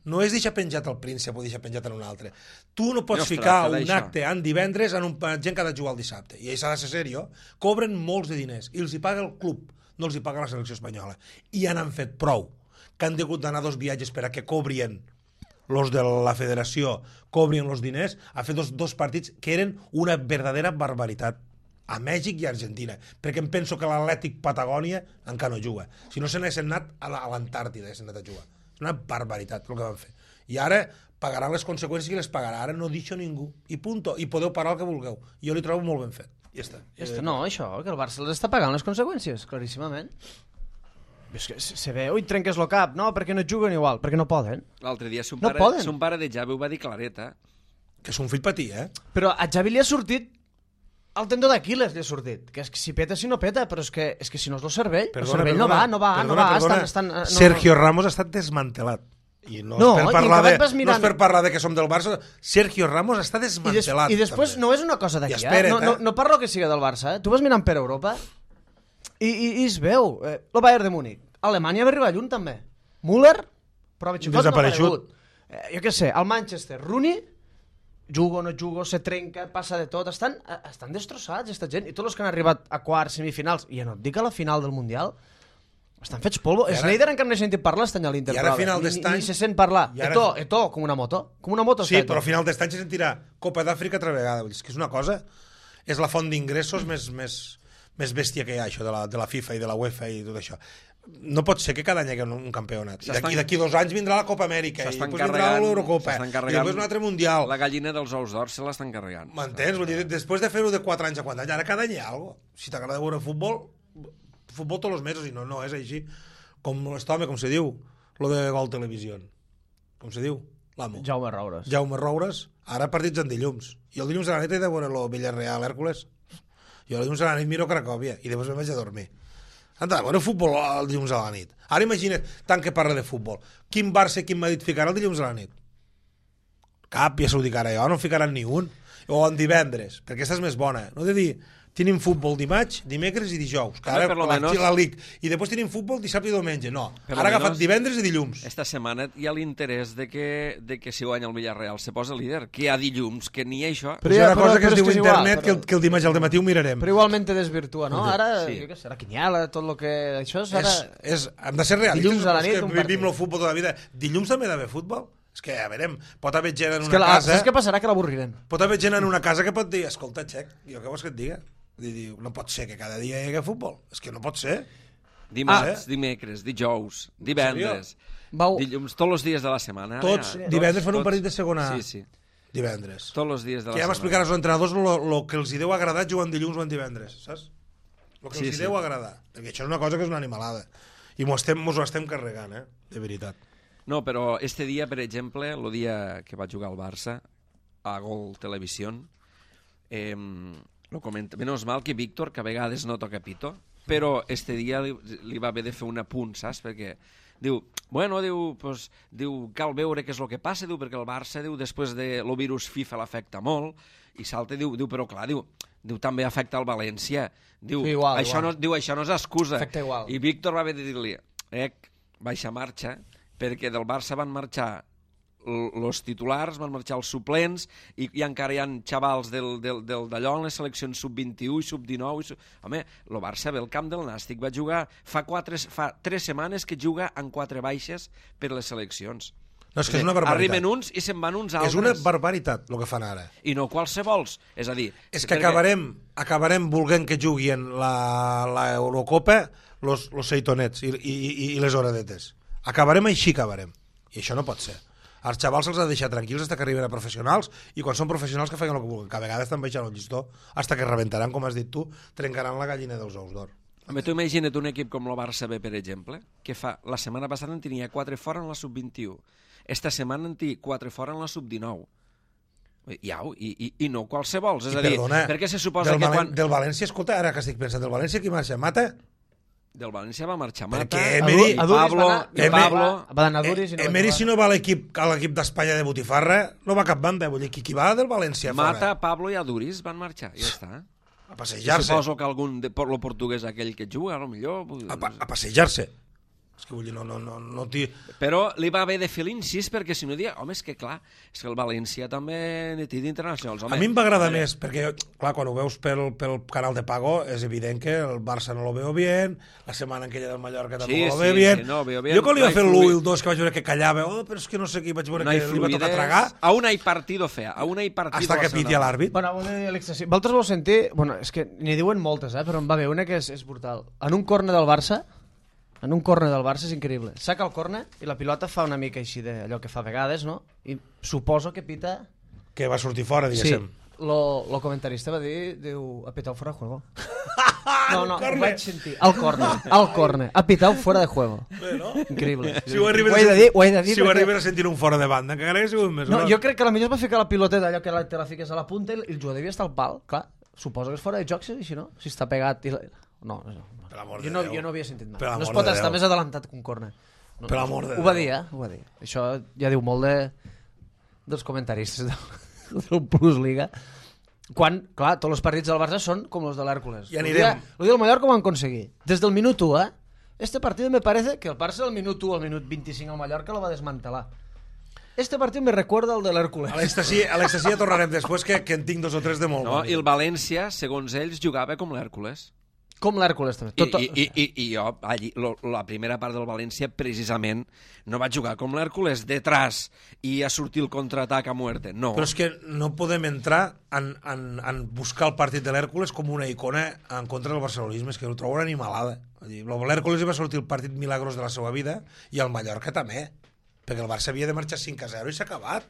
No és deixar penjat el príncep o deixar penjat en un altre. Tu no pots ficar un acte en divendres en gent que ha de jugar el dissabte. I això ha de ser seriós. Cobren molts de diners i els hi paga el club, no els hi paga la selecció espanyola. I han fet prou que han hagut d'anar 2 viatges per a que cobrien los de la federació, cobrien els diners, a fer dos partits que eren una verdadera barbaritat a Mèxic i a Argentina, perquè em penso que l'Atlètic Patagònia encara no juga. Si no se n'haguessin anat a l'Antàrtida, s'han anat a jugar. És una barbaritat el que van fer. I ara pagaran les conseqüències que les pagarà. Ara no deixo ningú. I punto. I podeu parar el que vulgueu. Jo li trobo molt ben fet. Ja està. No, això, que el Barça les està pagant les conseqüències, claríssimament. És que se veu i trenques el cap, no, perquè no juguen igual, perquè no poden. L'altre dia son pare de Javi ho va dir clareta. Que és un fill patí, Però a Javi li ha sortit el tendó d'Aquiles, li ha sortit. Que és que si peta, si no peta, però és que si no és el cervell, el cervell no va. Sergio Ramos ha estat desmantelat. I no és per parlar de que som del Barça. Sergio Ramos està desmantelat. I després no és una cosa d'aquí, no parlo que siga del Barça, Tu vas mirant per Europa i es veu el Bayern de Múnich, Alemanya va arribar lluny també, Müller prova xifot no ha aparegut, jo què sé, el Manchester, Rooney jugo, no jugo, se trenca, passa de tot, estan destrossats aquesta gent, i tots els que han arribat a quarts, semifinals, i ja no et dic a la final del Mundial, estan fets polvo. Sneijder encara no he sentit parlar este any a l'Inter, ni se sent parlar. Eto, com una moto. Sí, però a final d'estany se sentirà Copa d'Àfrica altra vegada. És que és una cosa, és la font d'ingressos més bèstia que hi ha, això de la FIFA i de la UEFA i tot això. No pot ser que cada any hi hagi un campionat. I d'aquí 2 anys vindrà la Copa Amèrica, i després vindrà l'Eurocopa, i després un altre Mundial. La gallina dels ous d'or se l'estan carregant. M'entens? Vull dir, després de fer-ho de 4 anys a 4 anys, ara cada any hi ha alguna cosa. Si t'agrada veure futbol tots els mesos, i no és així. Com se diu, lo de Gol Televisió. Com se diu? L'amo. Jaume Roures. Ara partits en dilluns. I el dilluns a la nit he de veure el Villarreal, Hèrcules. Jo el dilluns a la nit miro Cracòvia i després me'n vaig a dormir. Han de veure futbol el dilluns a la nit. Ara imagina't, tant que parla de futbol. Quin Barça i quin Madrid ficarà el dilluns a la nit? Cap, ja s'ho dic ara jo, no ficaran ni un. O en divendres, perquè aquesta és més bona. No he de dir, tenim futbol dimarts, dimecres i dijous, que ara la Liga. I després tenim futbol dissabte i diumenge. No, ara ha agafat divendres i dilluns. Esta setmana hi ha l'interès de que si guanya el Villarreal se posa líder, que hi ha dilluns, que ni això. Però hi ha una cosa que es diu internet, que el dimarts al dematí ho mirarem. Però igualment te desvirtua, no? Ara, jo què sé, la quiniela, tot el que... Això és ara... Hem de ser realistes. Dilluns a la nit, un partit. Vivim el futbol tota la vida. Dilluns també hi ha d'haver futbol? És que, a veure, pot haver gent en una casa... Saps què passarà? Que l'avorrirem. Pot haver gent en una casa que pot dir, escolta, Xec, jo què vols que et diga? No pot ser que cada dia hi hagi futbol. És que no pot ser. Dimarts, dimecres, dijous, divendres, dilluns, tots els dies de la setmana. Tots, divendres fan un partit de segona. Sí. Divendres. Tots els dies de la setmana. Que ja m'explicaran els entrenadors el que els hi deu agradar jugant dilluns o en divendres, saps? El que els hi deu agradar. Perquè això és una cosa que és una animalada. I mos ho estem carregant, de veritat. No, però este dia, per exemple, el dia que va jugar al Barça, a Gol Televisió, lo comenta. Menos mal que Víctor, que a vegades no toca pito, però este dia li va haver de fer un apunt, saps? Perquè diu, cal veure què és el que passa, diu, perquè el Barça, diu, després de lo virus FIFA l'afecta molt, i salta, diu, però clar, diu, també afecta el València. Diu, sí, igual. Això no és excusa. Afecta igual. I Víctor va haver de dir-li, baixa marxa, perquè del Barça van marxar els titulars, van marxar els suplents i encara hi ha xavals d'allò en les seleccions sub-21 i sub-19. Home, el Barça ve al camp del Nàstic, va jugar fa 3 setmanes que juga amb 4 baixes per les seleccions. No, és que és una barbaritat. Arriben uns i se'n van uns altres. És una barbaritat el que fan ara. I no qualsevols. És a dir... És que acabarem volent que juguin l'Eurocopa los seitonets i les horadetes. Acabarem. I això no pot ser. Els xavals se'ls ha de deixar tranquils fins que arriben a professionals i quan són professionals que facin el que vulguin, que a vegades estan baixant el llistó fins que rebentaran, com has dit tu, trencaran la gallina dels ous d'or. Home, tu imagina't un equip com el Barça B, per exemple, que la setmana passada en tenia 4 fora en la sub-21. Esta setmana en té 4 fora en la sub-19. I no qualsevols. És a dir, perquè se suposa que quan... Del València, escolta, ara que estic pensant, del València qui marxa? Mata? Del València va marxar Mata, Pablo... Va anar a Duris i no Emery, si no va a l'equip d'Espanya de Botifarra, no va cap banda. Vull dir, qui va del València fora? Mata, Pablo i Aduris van marxar, ja està. A passejar-se. Suposo que algun por lo portuguès aquell que juga, potser... A passejar-se. És que vull dir, no t'hi... Però li va haver de fer l'incís perquè si no dia, home, és que clar, és que el València també ne té d'internacionals. A mi em va agradar més, perquè clar, quan ho veus pel canal de pago és evident que el Barça no lo veo bien, la setmana en aquella del Mallorca tampoc lo veo bien. Sí, no, veo bien. Jo quan li va fer l'1 i el 2 que vaig veure que callava, però és que no sé qui, vaig veure que li va tocar tragar. Aún hay partido, fea, aún hay partido. Hasta que piti a l'àrbit. Bueno, vosaltres vau sentir, bueno, és que n'hi diuen moltes, però em va haver una que és brutal. En un córner del Barça és increïble. Saca el córner i la pilota fa una mica així d'allò que fa a vegades, no? I suposo que pita... Que va sortir fora, diguéssim. Sí, lo comentarista va dir, diu, ha pitado fuera de juego. No, ho vaig sentir. Al córner. Ha pitado fuera de juego. Bé, no? Increïble. Si ho arribes a sentir un fora de banda, que encara hauria sigut més. No, jo crec que potser es va ficar la pilota d'allò que te la fiques a la punta i el jugador devia estar al pal. Clar, suposo que és fora de joc, si no? Si està pegat... No. Jo no havia sentit mai. No es pot estar més adelantat que un córner. Per l'amor de Déu. Ho va dir. Això ja diu molt dels comentaristes del Plus Liga. Quan, clar, tots els partits del Barça són com els de l'Hèrcules. Ja anirem. El dia del Mallorca ho van aconseguir. Des del minut 1, Este partido me parece que el Barça del minut 1 al minut 25 al Mallorca lo va desmantelar. Este partit me recorda el de l'Hèrcules. A l'Estacia tornarem després, que en tinc 2 o 3 de molt. No, i el València, segons ells, jugava com l'Hèrcules. Com l'Hèrcules també. I jo, allí, la primera part del València, precisament, no va jugar com l'Hèrcules, detrás, i a sortir el contraatac a muerte. No. Però és que no podem entrar en buscar el partit de l'Hèrcules com una icona en contra del barcelonisme, és que ho trobo una animalada. L'Hèrcules va sortir el partit milagrós de la seva vida, i el Mallorca també, perquè el Barça havia de marxar 5-0 i s'ha acabat.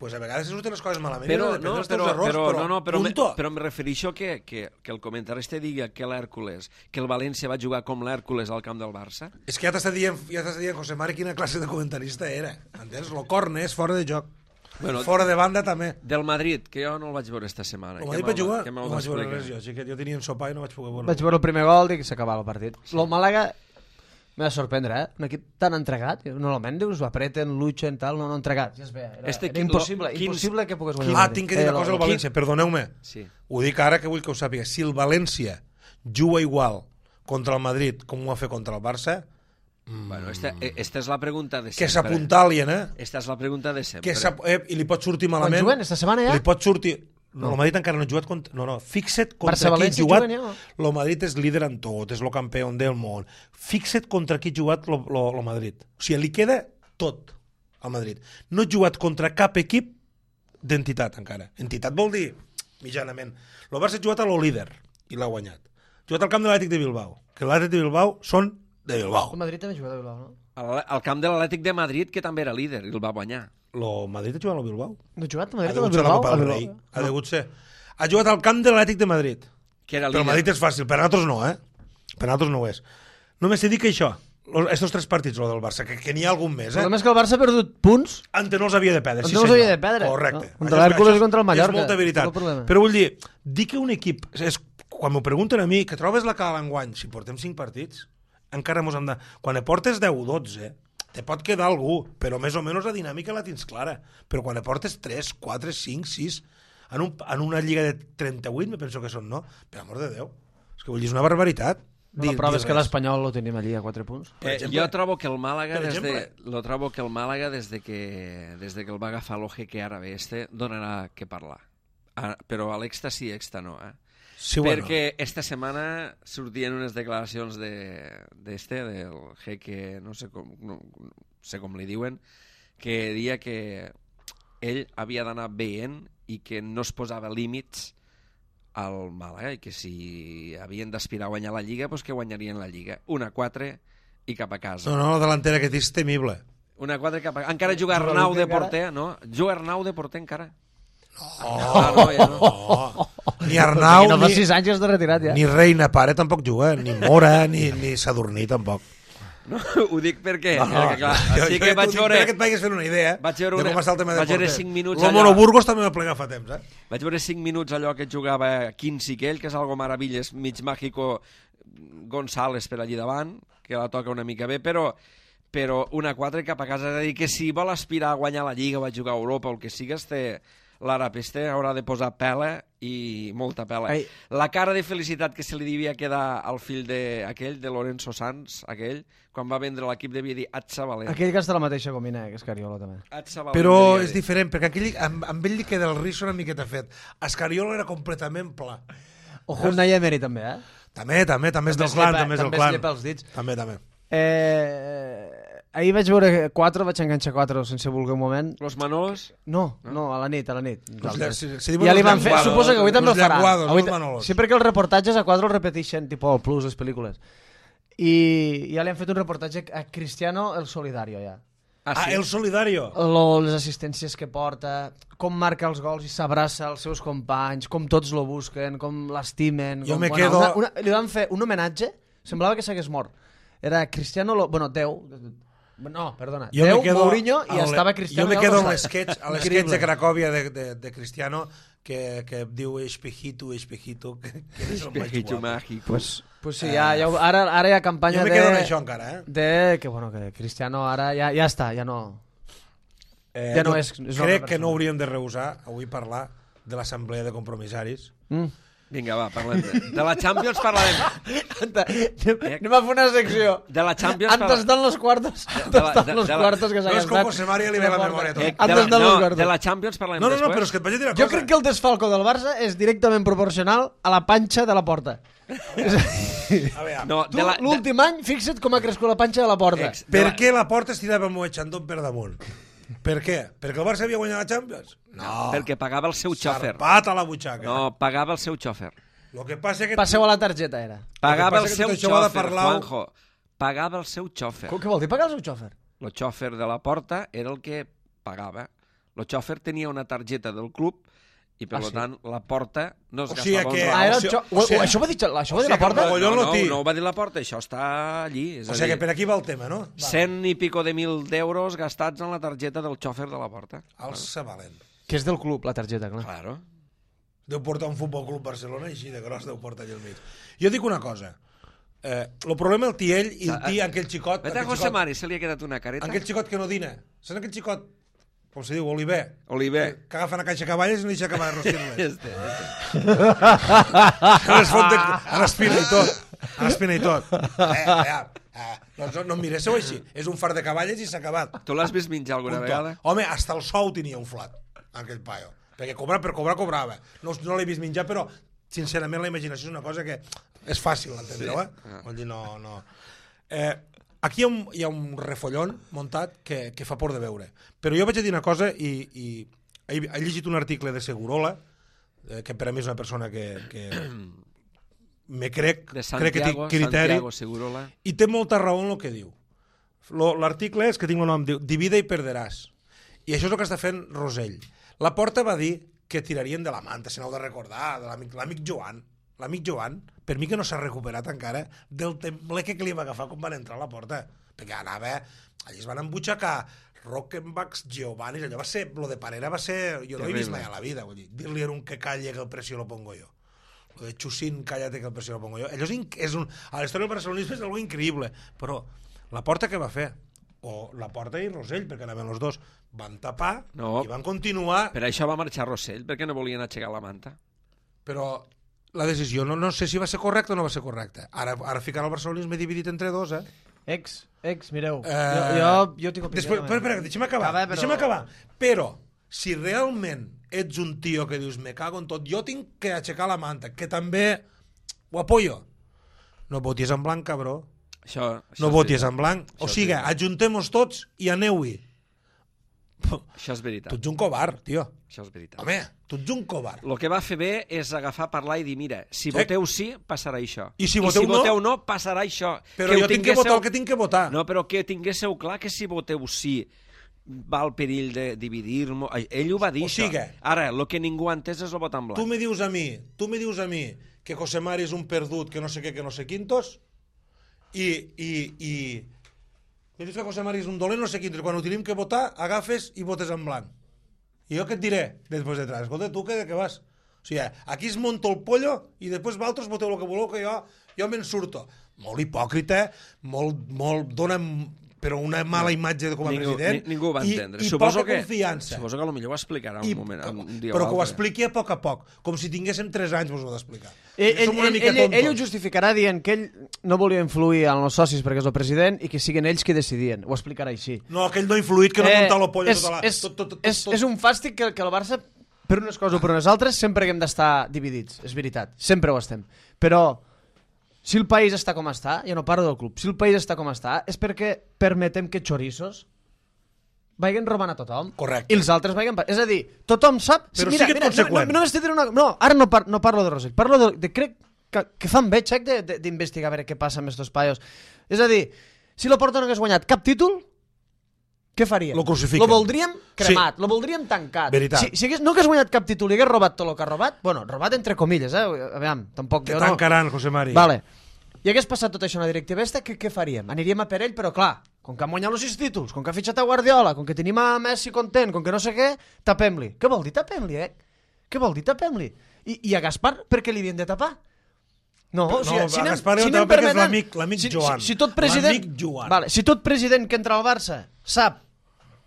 Pues a vegades surten les coses malament, però em refereixo que el comentarista digui que l'Hèrcules, que el València va jugar com l'Hèrcules al camp del Barça. És que ja t'estàs dient, José Mari, quina classe de comentarista era. Entens? Lo corne és fora de joc. Bueno, fora de banda també. Del Madrid, que jo no el vaig veure esta setmana. El Madrid va jugar? No vaig veure res jo, així que jo tenia un sopar i no vaig poder veure. Vaig veure el primer gol i s'acabava el partit. Sí. El Màlaga m'ha de sorprendre, Un equip tan entregat. Normalment dius, apreten, luchen, tal, no entregat. Ja es ve. Era impossible que pogués guanyar. Tinc que dir una cosa al València, perdoneu-me. Sí. Ho dic ara que vull que ho sàpiga. Si el València juga igual contra el Madrid com ho va fer contra el Barça... Bueno, esta és la pregunta de sempre. Que s'apuntalien, Esta és la pregunta de sempre. I li pot sortir malament... Quan juguen, esta setmana ja? Li pot sortir... No, el Madrid encara no ha jugat contra... No, fixa't contra qui ha jugat. El Madrid és líder en tot, és el campió del món. Fixa't contra qui ha jugat el Madrid. O sigui, li queda tot al Madrid. No ha jugat contra cap equip d'entitat encara. Entitat vol dir mitjanament. El Barça ha jugat a lo líder i l'ha guanyat. Ha jugat al camp de l'Atlètic de Bilbao, que l'Atlètic de Bilbao són de Bilbao. El Madrid també ha jugat a Bilbao, no? Al camp de l'Atlètic de Madrid, que també era líder, i el va guanyar. El Madrid ha jugat al Bilbao. No ha jugat al Madrid al Bilbao? Ha degut ser. Ha jugat al camp de l'Atlètic de Madrid. Però el Madrid és fàcil, per a nosaltres no, Per a nosaltres no ho és. Només he dit que això, estos 3 partits, el del Barça, que n'hi ha algun més, El problema és que el Barça ha perdut punts... Ante no els havia de perdre, sí senyor. No els havia de perdre. Correcte. Contra l'Hèrcules i contra el Mallorca. És molta veritat. Però vull dir que un equip és quan m'ho pregunten a mi, que trobes la cala enguany, si portem 5 partits, encara mos hem de... Quan portes 10 o 12, te pot quedar algú, però més o menys la dinàmica la tens clara. Però quan portes 3, 4, 5, 6, en una lliga de 38, me penso que són, no? Per amor de Déu. És que vull dir, és una barbaritat. La prova és que l'Espanyol lo tenim allí a 4 punts. Jo trobo que el Màlaga, des de que el va agafar l'Oje que ara ve donarà que parlar. Però a l'exta sí, exta no. Sí, bueno. Perquè esta setmana sortien unes declaracions del jeque, no sé com li diuen, que deia que ell havia d'anar veient i que no es posava límits al Màlaga i que si havien d'aspirar a guanyar la Lliga, doncs que guanyarien la Lliga. 1-4 i cap a casa. No, la delantera que tens temible. 1-4 cap a casa. Encara juga Arnau de porter, no? Juga Arnau de porter encara. No. Ni Arnau, no fa 6 anys de retirat, ja. Ni Reina Pare tampoc juga, ni Mora, ni Sadurní tampoc. No, ho dic perquè... Clar, sí que vaig veure... Perquè et vagis fent una idea de com està el tema de porter. 5 minuts allò... L'Homono Burgos també va plegar fa temps, Vaig veure 5 minuts allò que jugava Quincy Kell, que és algo meravilles, mig màgico González per allí davant, que la toca una mica bé, però 1-4 cap a casa. És a dir, que si vol aspirar a guanyar la Lliga o a jugar a Europa o el que sigues, l'àrab haurà de posar pela i molta pela. Ai. La cara de felicitat que se li devia quedar al fill de Lorenzo Sanz, quan va vendre l'equip devia dir Atxa Valent. Aquell que està la mateixa comina, que Escariola també. Però és diferent, perquè amb ell li queda el riso una miqueta fet. Escariola era completament pla. Ojo, un Naya Emery també, També és del clan, també és del clan. També es llepa els dits. També. Ahir vaig veure 4, vaig enganxar 4 sense voler un moment. Los Manolos? No, a la nit. Ja li van fer, suposo que avui també ho farà. Sí, perquè els reportatges a 4 els repeteixen, tipus el Plus, les pel·lícules. I ja li han fet un reportatge a Cristiano el Solidario, ja. Sí? El Solidario? Les assistències que porta, com marca els gols i s'abraça als seus companys, com tots lo busquen, com l'estimen. Jo me quedo... Li van fer un homenatge, semblava que s'hagués mort. Era Cristiano... Déu... No, perdona. Déu, Mourinho, i estava Cristiano... Jo me quedo a l'esquetx de Cracòvia de Cristiano que diu espejito, que és el màgic. Pues sí, ara hi ha campanya jo me quedo en això encara, que Cristiano ara ja està, ja no... Ja no és... Crec que no hauríem de rehusar avui parlar de l'assemblea de compromissaris. Vinga, va, parlem de la Champions parlarem. Anem a fer una secció. De la Champions parlarem. Antes estan los cuartos. Que no és com José María li ve la memòria tot. De la Champions parlarem després. No, però és que et vaig dir una cosa. Jo crec que el desfalco del Barça és directament proporcional a la panxa de la porta. L'últim any, fixa't com ha crescut la panxa de la porta. Per què la porta es tirava amb Echandón per damunt? Per què? Perquè el Barça havia guanyat la Champions? No. Perquè pagava el seu xòfer. Sarpat a la butxaca. No, pagava el seu xòfer. Lo que passa que... Passeu a la targeta, era. Pagava el seu xòfer, Juanjo. Pagava el seu xòfer. Què vol dir pagar el seu xòfer? El xòfer de la porta era el que pagava. El xòfer tenia una targeta del club i, per tant, la porta no es gastava un raó. Això va dir la porta? No ho va dir la porta, això està allí. O sigui que per aquí va el tema, no? 100 i pico de mil d'euros gastats en la targeta del xòfer de la porta. Alça valent. Que és del club, la targeta, clar. Claro. Deu portar un Futbol Club Barcelona i així de gros deu portar allà al mig. Jo dic una cosa. El problema el té ell i el té aquell xicot... Vete a José Mari, se li ha quedat una careta. Aquell xicot que no dina. Saps aquell xicot, com se diu, Oliver? Que agafa una caixa de cavalles i no deixa acabar de rostir-les. En espina i tot. No em miréssiu així. És un far de cavalles i s'ha acabat. Tu l'has vist menjar alguna vegada? Home, hasta el sou tenia un flat, aquell paio. Perquè per cobrar, cobrava. No l'he vist menjar, però, sincerament, la imaginació és una cosa que és fàcil d'entendre, Vol dir, no... Aquí hi ha un refollon muntat que fa por de veure. Però jo vaig a dir una cosa i he llegit un article de Segurola, que per a mi és una persona que me crec que té criteri, i té molta raó en el que diu. L'article és que tinc el nom, diu Divide i perderàs. I això és el que està fent Rosell. La Porta va dir que tirarien de la manta, se n'heu de recordar, de l'amic Joan. L'amic Joan, per mi que no s'ha recuperat encara del tembleque que li va agafar quan van entrar a la porta, perquè anava allà es van embutxacar Rockenbachs, Giovanni, allò va ser, lo de Parera va ser, jo no he vist mai a la vida, vull dir, dir-li a un que calle que el precio lo pongo jo. lo de Chusín, cállate que el precio lo pongo jo. Allò a la història del barcelonisme és algo increïble, però la Porta què va fer? O la Porta i Rosell, perquè anaven els dos, van tapar i van continuar... Per això va marxar Rosell, perquè no volien aixecar la manta. Però la decisió no sé si va ser correcta o no va ser correcta. Ara ficar el barcelonisme dividit entre dos, Ex, mireu, jo tinc opinió. Espera, deixa'm acabar. Però, si realment ets un tio que dius, me cago en tot, jo tinc que aixecar la manta, que també ho apoyo. No votis en blanc, cabró. No votis en blanc. O sigui, ajuntem-nos tots i aneu-hi. Això és veritat. Tu ets un covard, tio. Això és veritat. Home, tu ets un covard. El que va fer bé és agafar, parlar i dir, mira, si voteu sí, passarà això. I si voteu no, passarà això. Però jo tinc que votar el que tinc que votar. No, però que tinguéssiu clar que si voteu sí va al perill de dividir-nos. Ell ho va dir, això. Ara, el que ningú ha entès és el vot en blanc. Tu me dius a mi que José Mari és un perdut, que no sé què, que no sé quintos, i me dius que José Mari és un dolent, no sé quintos, quan ho tenim que votar, agafes i votes en blanc. I jo què et diré després de tràs? Escolta, tu què vas? O sigui, aquí es monta el pollo i després vosaltres voteu el que voleu, que jo me'n surto. Molt hipòcrita, molt dona però una mala imatge com a president. Ningú ho va entendre. I poca confiança. Suposo que potser ho explicarà un moment. Però que ho expliqui a poc, com si tinguéssim 3 anys vos ho d'explicar. Ell ho justificarà dient que ell no volia influir en els socis perquè és el president i que siguin ells qui decidien. Ho explicarà així. No, que ell no ha influït, que no ha muntat la polla. És un fàstic que el Barça, per unes coses o per unes altres, sempre hem d'estar dividits. És veritat, sempre ho estem. Però si el país està com està, ja no parlo del club, si el país està com està, és perquè permetem que xorissos vagin robant a tothom. Correcte. I els altres vagin... És a dir, tothom sap... Però sigui conseqüent. No, ara no parlo de Rosell, parlo de crec que fan bé, xec, d'investigar a veure què passa amb estos paios. És a dir, si la Porta no hagués guanyat cap títol, què faríem? Lo crucifiquen. Lo voldríem cremat, lo voldríem tancat. Veritat. Si no hagués guanyat cap títol i hagués robat tot el que ha robat, bueno, robat entre comilles, aviam, tampoc... Te tancaran, José Mari. Vale. I hagués passat tot això a una directiva esta, què faríem? Aniríem a per ell, però clar, com que han guanyat els 6 títols, com que ha fitxat a Guardiola, com que tenim a Messi content, com que no sé què, tapem-li. Què vol dir tapem-li, Què vol dir tapem-li? I a Gaspar, per què li havien de tapar? No, o sigui, a Gaspar li havien de tapar perquè és l'amic Joan. Si tot president que entra al Barça sap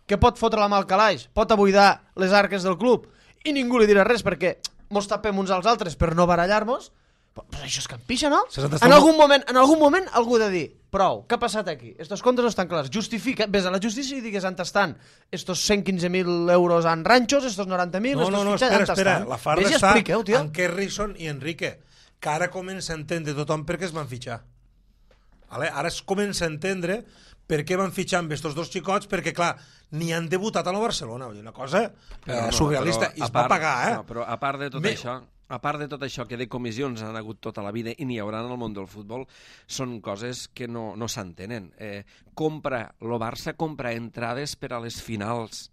que pot fotre la mà al calaix, pot abuidar les arques del club, i ningú li dirà res perquè mos tapem uns als altres per no barallar-nos, però això és campixa, no? En algun moment algú ha de dir, prou, què ha passat aquí? Estos comptes no estan clars. Justifica, vés a la justícia i digues on estan estos 115.000 euros en ranxos, estos 90.000... No, espera, la farda està en Kerrison i Enrique, que ara comença a entendre tothom per què es van fitxar. Ara es comença a entendre per què van fitxar amb estos dos xicots, perquè, clar, ni han debutat a la Barcelona, una cosa surrealista, i es va pagar, però a part de tot això... A part de tot això, que de comissions han hagut tota la vida i n'hi haurà en el món del futbol, són coses que no s'entenen. El Barça compra entrades per a les finals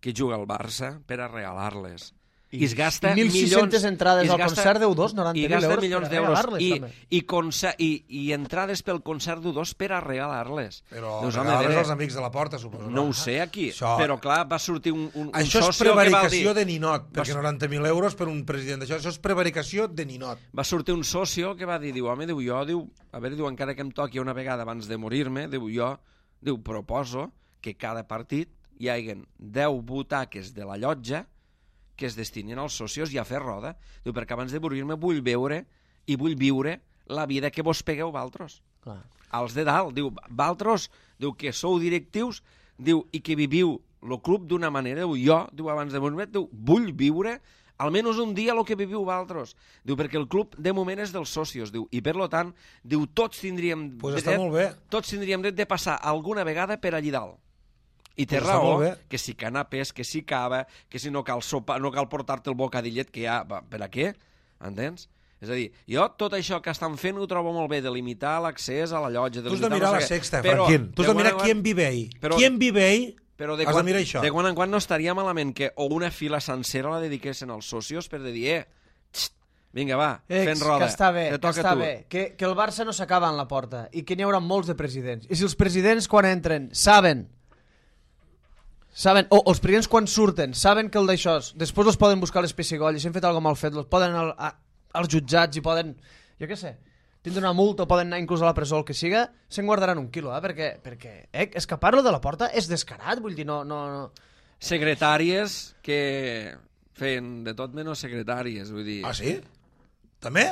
que juga el Barça per a regalar-les. I es gasta 1.600 entrades al concert d'U2, 90.000 milions per a regalar-les. I entrades pel concert d'U2 per a regalar-les. Però regalar-les als amics de la Porta, suposo. No ho sé aquí, però clar, va sortir un això socio que va dir... Això és prevaricació de ninot, perquè 90.000 euros per un president d'això, això és prevaricació de ninot. Va sortir un socio que va dir, home, encara que em toqui una vegada abans de morir-me, proposo que cada partit hi hagi 10 butaques de la llotja que es destinin als socios i a fer roda. Perquè abans de morir-me vull veure i vull viure la vida que vos pegueu valtros. Els de dalt, valtros, que sou directius, i que viviu el club d'una manera, jo, abans de morir-me, vull viure almenys un dia el que viviu valtros. Perquè el club de moment és dels socios, i per tant, tots tindríem dret de passar alguna vegada per allí dalt. I té raó, que si canapés, que si cava, que si no cal sopa, no cal portar-te el bocadillet que hi ha, per a què? Entens? És a dir, jo tot això que estan fent ho trobo molt bé, de limitar l'accés a la llotja... Tu has de mirar la Sexta, Franquín. Tu has de mirar qui en vive ahí. Qui en vive ahí, has de mirar això. De quan en quan no estaria malament que o una fila sencera la dediquessin als socios per dir, vinga, va, fent roda. Que està bé, que el Barça no s'acaba en la Porta i que n'hi haurà molts de presidents. I si els presidents quan entren saben, o els presidents quan surten saben que el d'això després els poden buscar les pessigolles, si han fet alguna mal fet, els poden als jutjats i poden, jo què sé, tindre una multa o poden anar inclús a la presó o el que siga, se'n guardaran un quilo, perquè escapar-lo de la porta és descarat, vull dir, no... Secretàries que feien de tot menys secretàries, vull dir... Ah, sí? També?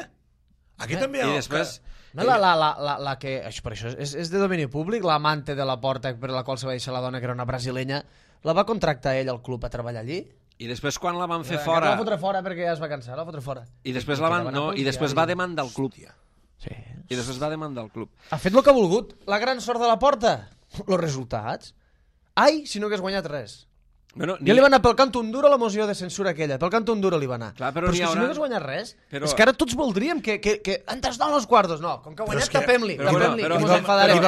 Aquí també hi ha... I després... La que, per això és de domini públic, l'amante de la porta per la qual se va deixar la dona, que era una brasilenya, la va contractar ell al club a treballar allí? I després quan la van fer fora... La va fotre fora perquè ja es va cansar, la va fotre fora. I després va demandar el club. Sí. I després va demandar el club. Ha fet el que ha volgut. La gran sort de la porta? Els resultats? Ai, si no hagués guanyat res. Bueno, Ja li va anar pel cant un duro la moció de censura aquella, pel cant un duro li va anar. Clar, però és que si no hagués guanyat res, és que ara tots voldríem que ens donen els quartos. No, com que ha guanyat, tapem-li, que ens enfadarem.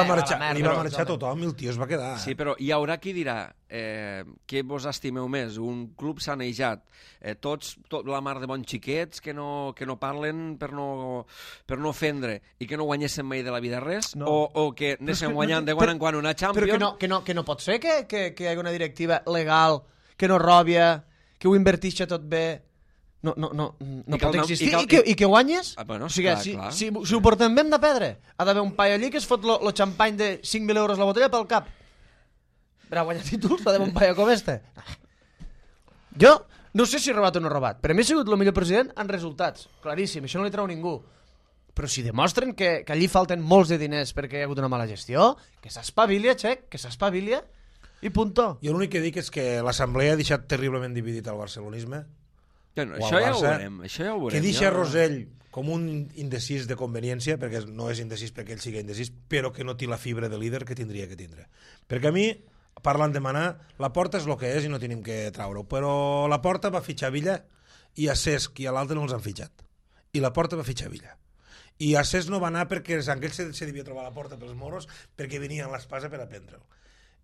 Li va marxar tothom i el tio es va quedar. Sí, però hi haurà qui dirà què vos estimeu més, un club sanejat, tot la mar de bons xiquets que no parlen per no ofendre i que no guanyessin mai de la vida res, o que anessin guanyant de quan en quan una Champions. Però que no pot ser que hi hagi una directiva legal, que no robia, que ho invertixi tot bé. No pot existir. I que guanyes? Bueno, o sigui, clar. Si ho portem bé hem de perdre. Ha d'haver un paio allí que es fot lo xampany de 5.000 euros la botella pel cap. Per a guanyar títols ha d'haver un paio com este. Jo no sé si he robat o no he robat. Per a mi he sigut el millor president en resultats. Claríssim, això no li treu ningú. Però si demostren que allí falten molts de diners perquè hi ha hagut una mala gestió, que s'espavilia, Xec, que s'espavilia i punto. Jo l'únic que dic és que l'Assemblea ha deixat terriblement dividit el barcelonisme. Bueno, això ja ho veurem. Que deixa Rosell com un indecís de conveniència, perquè no és indecís perquè ell sigui indecís, però que no té la fibra de líder que tindria que tindre. Perquè a mi, parlant de manar, la Porta és el que és i no tenim que traure-ho, però la Porta va fitxar Villa i a Cesc i a l'altre no els han fitxat. I la Porta va fitxar Villa. I a Cesc no va anar perquè aquell se devia trobar a la porta pels moros perquè venien l'espasa per a prendre'l.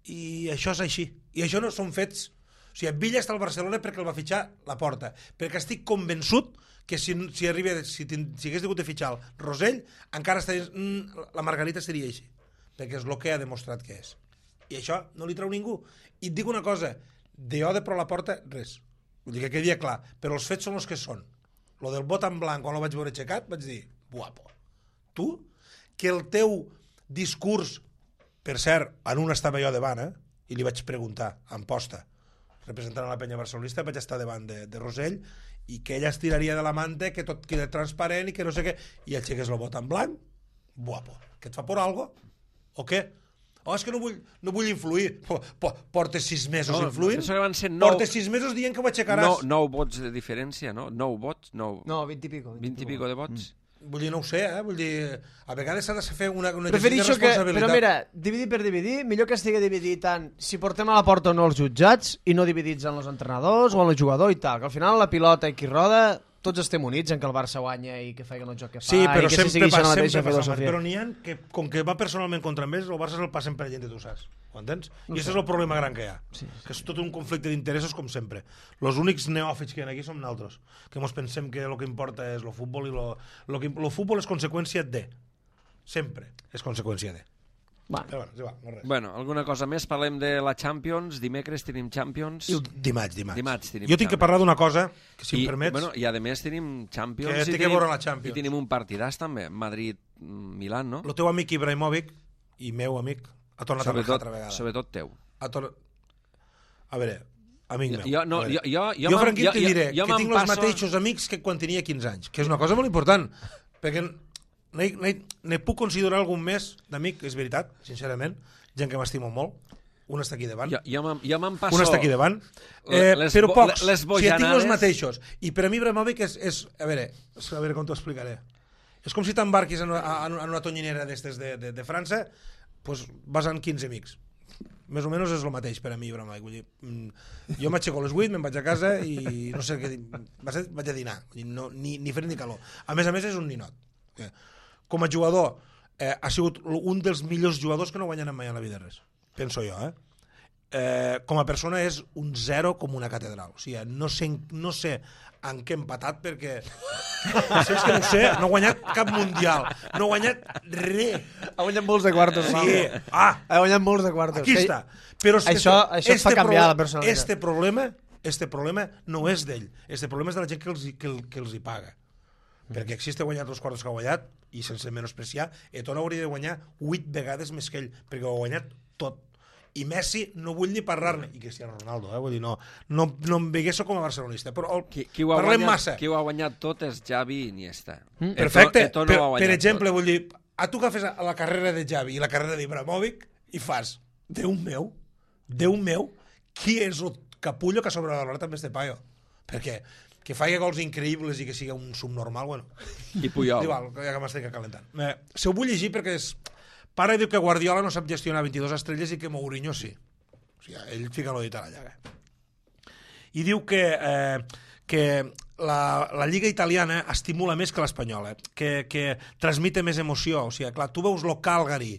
I això és així. I això no són fets. O sigui, Villa està al Barcelona perquè el va fitxar la Porta. Perquè estic convençut que si hagués hagut de fitxar el Rosell, encara la Margarita seria així. Perquè és el que ha demostrat que és. I això no li treu ningú. I et dic una cosa, de pro la Porta, res. Vull dir que quedi clar. Però els fets són els que són. Lo del vot en blanc, quan el vaig veure aixecat, vaig dir, guapo. Tu, que el teu discurs, per cert, en un estava jo davant, i li vaig preguntar, en posta, representant la penya barcelonista, vaig estar davant de Rosell, i que ella es tiraria de la manta, que tot queda transparent i que no sé què, i aixeques el vot en blanc, guapo. Que et fa por algo? O què? Oh, és que no vull influir. Portes 6 mesos influint? Portes 6 mesos dient que ho aixecaràs. 9 vots de diferència, no? 9 vots? No, 20 i pico. 20 i pico de vots. Vull dir, no ho sé, vull dir, a vegades s'ha de fer una exercici de responsabilitat. Però mira, dividir per dividir, millor que estigui dividit tant si portem a la porta o no els jutjats i no dividits en els entrenadors o en el jugador i tal, que al final la pilota i qui roda tots estem units en que el Barça guanya i que faci el joc que fa. Sí, però i que sempre passa, però n'hi ha que, com que va personalment contra ells, el Barça se'l passen per gent de tu saps. Ho entens? I aquest és el problema gran que hi ha. Sí. Que és tot un conflicte d'interessos com sempre. Els únics neòfits que hi ha aquí som nosaltres, que ens pensem que el que importa és el futbol i el futbol és conseqüència de. Sempre és conseqüència de. Però bueno, no res. Bueno, alguna cosa més? Parlem de la Champions. Dimecres tenim Champions. Dimarts. Jo tinc que parlar d'una cosa, que si em permets... Bueno, i a més tenim Champions. Que té que veure la Champions. I tenim un partidàs també, Madrid-Milan, no? El teu amic Ibrahimovic, i meu amic, ha tornat a marcar altra vegada. Sobretot teu. A veure, amic meu. Jo Franquit, t'hi diré que tinc els mateixos amics que quan tenia 15 anys, que és una cosa molt important, perquè ne puc considerar algun més d'amic, és veritat, sincerament, gent que m'estimo molt, un està aquí davant, jo me'n passo... Un està aquí davant, però pocs, si ja tinc els mateixos. I per a mi Ibrahimovic és a veure com t'ho explicaré. És com si t'embarquis en una tonyinera d'estes de França, doncs vas amb 15 amics. Més o menys és el mateix per a mi, Ibrahimovic. Vull dir, jo m'aixeco a les 8, me'n vaig a casa i no sé què... Vaig a dinar, ni fred ni calor. A més, és un ninot. Com a jugador, ha sigut un dels millors jugadors que no guanyen mai a la vida res. Penso jo, com a persona és un 0 com una catedral. O sigui, no sé en què ha empatat perquè és que no sé, no ha guanyat cap mundial, no ha guanyat res. Ha guanyat molts de quartos. Sí. Ha guanyat molts de quartos. Aquí està. Però això et fa canviar la personalitat. Este problema no és d'ell. Este problema és de la gent que els hi paga. perquè existe guanyat els quartos que ha guanyat, i sense menospreciar, Eto'o hauria de guanyar 8 vegades més que ell, perquè ho ha guanyat tot. I Messi no vull ni parlar-ne, i Cristiano Ronaldo, vull dir, no em veguesso com a barcelonista, però parlem massa. Qui ho ha guanyat tot és Xavi i Iniesta. Perfecte, per exemple, vull dir, a tu agafes la carrera de Xavi i la carrera d'Ibrahimovic i fas, Déu meu, qui és el capullo que ha sobrevalorat amb este paio? Perquè que faci gols increïbles i que sigui un subnormal, bueno. I Puyol. Igual, ja que m'estic calentant. Se ho vull llegir perquè pare diu que Guardiola no sap gestionar 22 estrelles i que Mourinho sí. O sigui, ell fica l'ho dit a la llaga. I diu que la Lliga italiana estimula més que l'espanyola, que transmite més emoció. O sigui, clar, tu veus lo Calgary,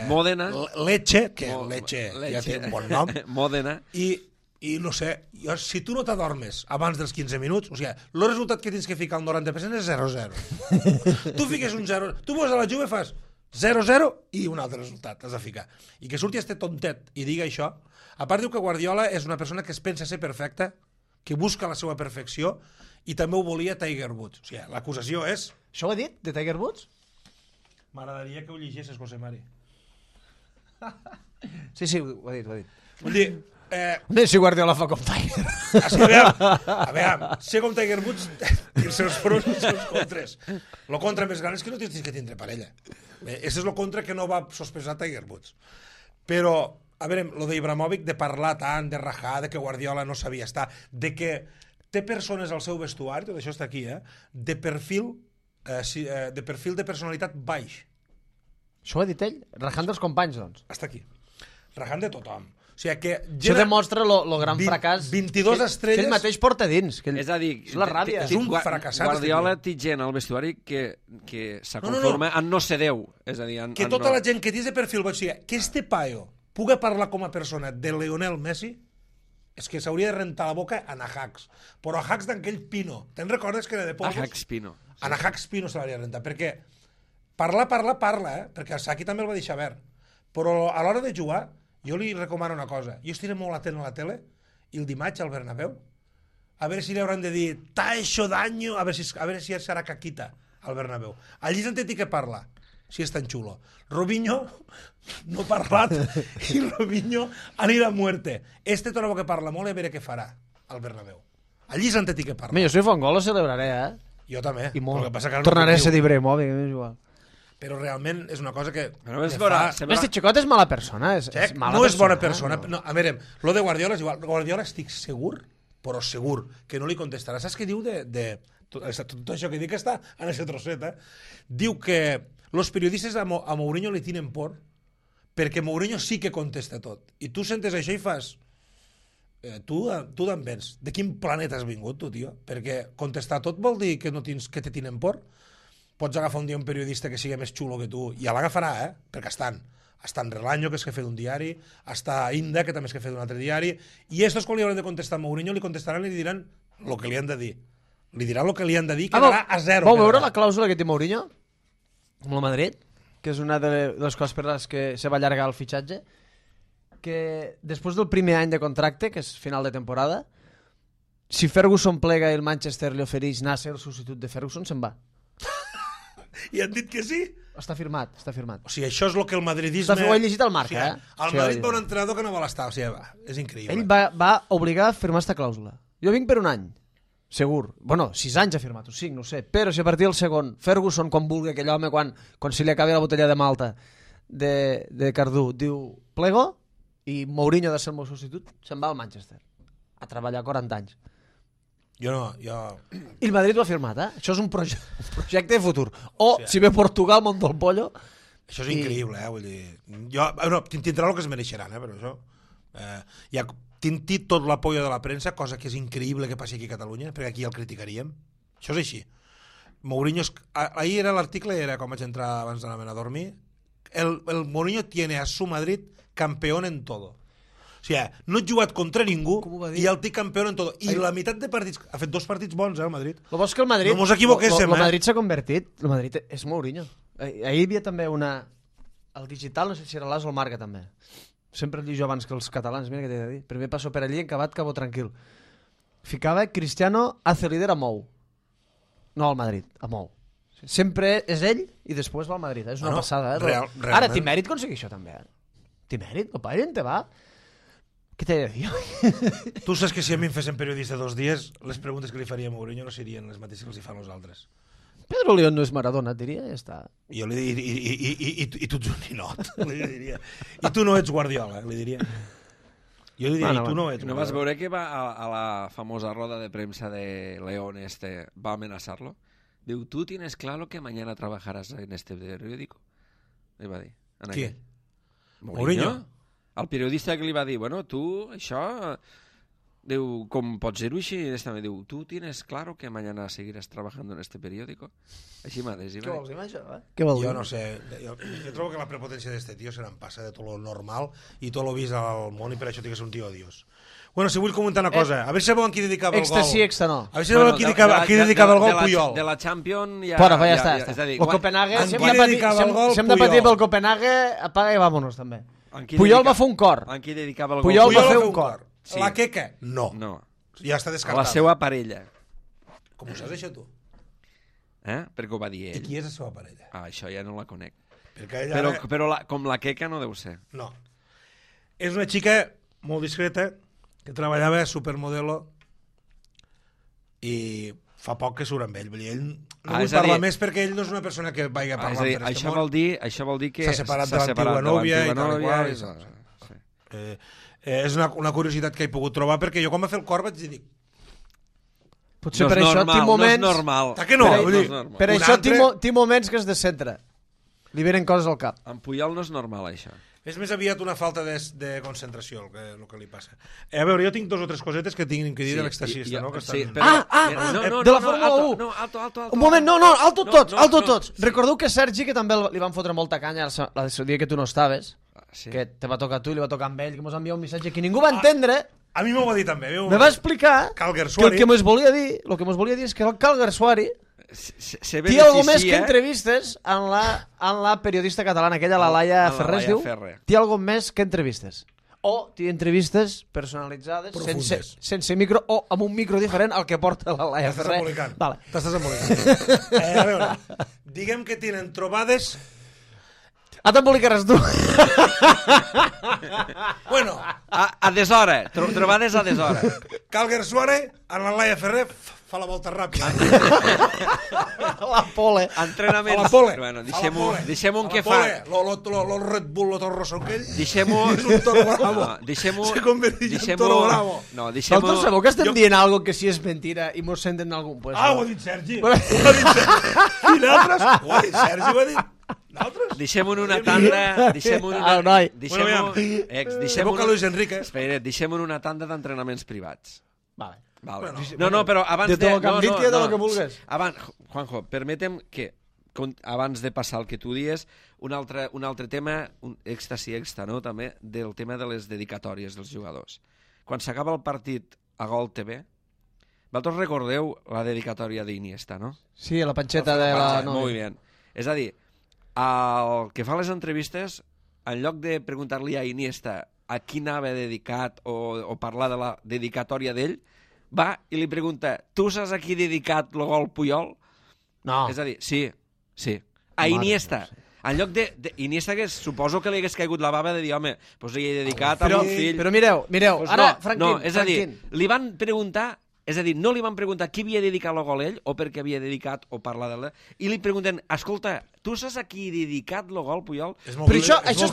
Modena, Lecce, que Lecce ja té un bon nom, Modena, i no sé, si tu no t'adormes abans dels 15 minuts, o sigui, el resultat que tens que ficar el 90% és 0-0. Tu fiques un 0, tu vas a la Juve, fas 0-0 i un altre resultat has de ficar. I que surti este tontet i diga això. A part diu que Guardiola és una persona que es pensa ser perfecta, que busca la seva perfecció, i també ho volia Tiger Woods. O sigui, l'acusació és... Això ho ha dit, de Tiger Woods? M'agradaria que ho llegissis, José Mari. Sí, ho ha dit. Vull dir... si Guardiola fa com Tiger. A veure, ser com Tiger Woods i els seus pros i els seus contres. Lo contra més gran és que no tens que tindre parella. Això és lo contra que no va sospesar Tiger Woods. Però, a veure, lo d'Ibrahimovic, de parlar tant, de rajar, de que Guardiola no sabia estar, de que té persones al seu vestuari, tot això està aquí, de perfil de personalitat baix. Això ho ha dit ell? Rajant dels companys, doncs. Està aquí. Rajant de tothom. O sigui que això demostra lo gran fracàs 22 estrelles... que ell mateix porta dins. És a dir, és la ràbia. És un fracassat. Guardiola té gent al vestuari que se conforma en no ser Déu. És a dir, que tota la gent que tens de perfil baix, o sigui, que este paio puga parlar com a persona de Lionel Messi, és que s'hauria de rentar la boca a Ajax. Però Ajax d'enquell Pino. Te'n recordes que era de Pozos? Ajax Pino. A Ajax Pino se l'hauria de rentar. Perquè parla, perquè el Saki també el va deixar verd. Però a l'hora de jugar, jo li recomano una cosa. Jo estiré molt atent a la tele i el dimarts al Bernabéu a veure si li hauran de dir t'ha hecho daño, a veure si serà caquita al Bernabéu. Allí és on té que parlar, si és tan xulo. Robinho no ha parlat i Robinho anirà a muerte. Este torna que parla molt i a veure què farà al Bernabéu. Allí és on té que parlar. Jo si fa un gol lo celebraré, Jo també. I molt. Que que tornaré a ser d'Ibrahimovic, és igual. Però realment és una cosa que... Este xicot és mala persona. No és bona persona. No, a veure, lo de Guardiola és igual. Guardiola estic segur, però segur, que no li contestarà. Saps què diu de tot això que dic que està en aquest trosset, Diu que els periodistes a Mourinho li tenen por perquè Mourinho sí que contesta tot. I tu sentes això i fas... Tu d'en vens. De quin planeta has vingut, tu, tio? Perquè contestar tot vol dir que que te tenen por. Pots agafar un dia un periodista que sigui més xulo que tu, i l'agafarà, perquè estan Relaño, que és jefe d'un diari, està Inda, que també és jefe d'un altre diari, i estos quan li hauran de contestar a Mourinho li contestaran i li diran el que li han de dir. Li diran el que li han de dir, quedarà a zero. Vau veure la clàusula que té Mourinho amb el Madrid? Que és una de les coses per les que se va allargar el fitxatge, que després del primer any de contracte, que és final de temporada, si Ferguson plega i el Manchester li ofereix anar a ser el substitut de Ferguson, se'n va. I han dit que sí? Està firmat. O sigui, això és el que el madridisme... Ho he llegit al Marca, El Madrid va un entrenador que no vol estar, o sigui, és increïble. Ell va obligar a firmar esta clàusula. Jo vinc per un any, segur. Bueno, 6 anys ha firmat, o 5, no ho sé. Però si a partir del segon, Ferguson, quan vulgui, aquell home, quan se li acabi la botella de Malta de Cardú, diu plego, i Mourinho ha de ser el meu substitut, se'n va al Manchester a treballar 40 anys. Jo no. I el Madrid ho ha firmat, Això és un projecte de futur. Si ve Portugal, Monto el Pollo... Això és increïble, vull dir... Tindrà el que es mereixeran, però això... Tintit tot l'apoyo de la premsa, cosa que és increïble que passi aquí a Catalunya, perquè aquí el criticaríem. Això és així. Mourinho... Ahir era l'article, era com vaig entrar abans d'anar a dormir, el Mourinho tiene a su Madrid campeón en todo. O sigui, no ha jugat contra ningú i el té campió en tot. I la meitat de partits... Ha fet 2 partits bons, el Madrid. Lo bo és que el Madrid... No mos equivoquéssim, El Madrid s'ha convertit... El Madrid és Mourinho. Ahir hi havia també una... El digital, no sé si era l'As o el Marca, també. Sempre el jo abans que els catalans. Mira què t'he de dir. Primer passo per allí, acabat, cabo tranquil. Ficava Cristiano hace líder a Mou. No, al Madrid, a molt. Sempre és ell i després va al Madrid. És una passada. Realment. Ara, Timèrit aconsegueix això també. Timèrit, el Bayern te va... Què t'he de dir? Tu saps que si a mi em fessin periodista 2 dies, les preguntes que li faria a Mourinho no serien les mateixes que els hi fan els altres. Pedro León no és Maradona, et diria, ja està. Jo li diria, i tu ets un ninot, li diria. I tu no ets Guardiola, li diria. Jo li diria, i tu no ets Guardiola. ¿No vas a ver que va a la famosa roda de prensa de León va a amenazarlo? Diu, ¿tú tienes claro que mañana trabajarás en este periódico? Le va dir. Qui? Mourinho? El periodista que li va dir, bueno, tu, això... Diu, com pots dir-ho així? Diu, ¿tú tienes claro que mañana seguirás trabajando en este periódico? Així mateix. Què vols dir, això? Què vol dir? Jo no sé. Jo trobo que la prepotència d'este tio se n'empassa de tot lo normal i tot lo vist al món i per això tinc que ser un tio odiós. Bueno, si vull comentar una cosa, a veure si sabeu qui dedicava el gol. Extra sí, extra no. A veure si sabeu qui dedicava el gol Puyol. De la Champions ja... Fora, ja està. És a dir, el Copenhague, si hem de patir pel Copenhague, apaga i vámonos, també. Puyol va fer un cor. En qui dedicava el gol? Puyol va fer un cor. Sí. La Queca? No. Ja està descartada. A la seva parella. Com ho saps, això, tu? Perquè ho va dir ell. I qui és la seva parella? Això ja no la conec. Ella... Però com la Queca no deu ser. No. És una xica molt discreta que treballava a Supermodelo i fa poc que surt amb ell. Ell no vull parlar més perquè ell no és una persona que vagi a parlar per aquest món. Això vol dir que s'ha separat de l'antiga nòvia i tal i qual. És una curiositat que he pogut trobar perquè jo quan va fer el cor vaig dir potser per això tinc moments... No és normal. Que no? Per això tinc moments que es descentra. Li venen coses al cap. En Puyol no és normal, això. És més aviat una falta de concentració el que li passa. A veure, jo tinc 2 o 3 cosetes que tinc que dir de l'extaxista, no? De la Fórmula 1. No, alto. Un moment, alto tots. Recordeu que Sergi, que també li van fotre molta canya el dia que tu no estaves, que te va tocar a tu i li va tocar amb ell, que mos va enviar un missatge que ningú va entendre. A mi m'ho va dir també. Me va explicar que el que mos volia dir és que el Calguersuari té algo més que entrevistes en la periodista catalana, aquella, la Laia Ferrer, es diu? Té algo més que entrevistes. O té entrevistes personalitzades, sense micro, o amb un micro diferent al que porta la Laia Ferrer. T'estàs embolicant. A veure, diguem que tenen trobades... Ah, t'embolicaràs tu. Bueno. A deshora, trobades a deshora. Calguersuari, en la Laia Ferrer... fa la volta ràpida. La pole. Entrenaments. A la pole. Bueno, deixem-ho en què fa. Lo Red Bull, lo Toro Rosso aquell. Deixem-ho... És un Toro Bravo. Se converteix en Toro Bravo. No, deixem-ho... Vosaltres sabeu que estem dient algo que si és mentira i mos senten algun puesto? Ho ha dit Sergi. Ho ha dit Sergi. I nosaltres? Ho ha dit Sergi, ho ha dit... Deixem-ho en una tanda... Deixem-ho en una tanda d'entrenaments privats. Vale. No, però abans de... De lo que vulgues. Juanjo, permetem que, abans de passar el que tu dies, un altre tema, extra, no?, també, del tema de les dedicatòries dels jugadors. Quan s'acaba el partit a Gol TV, vosaltres recordeu la dedicatòria d'Iniesta, no? Sí, la panxeta de la... Molt bé. És a dir, el que fa les entrevistes, en lloc de preguntar-li a Iniesta a qui anava dedicat o parlar de la dedicatòria d'ell, va i li pregunta, tu saps a qui dedicat el gol Puyol? No. És a dir, sí. A Iniesta. En lloc de Iniesta, que suposo que li hagués caigut la bava de dir, home, doncs li he dedicat a un fill... Però mireu, ara, Franquín... No, és a dir, li van preguntar... És a dir, no li van preguntar qui havia dedicat el gol ell o per què havia dedicat o parlar de l'ell, i li pregunten, escolta, tu saps a qui he dedicat el gol Puyol? Però això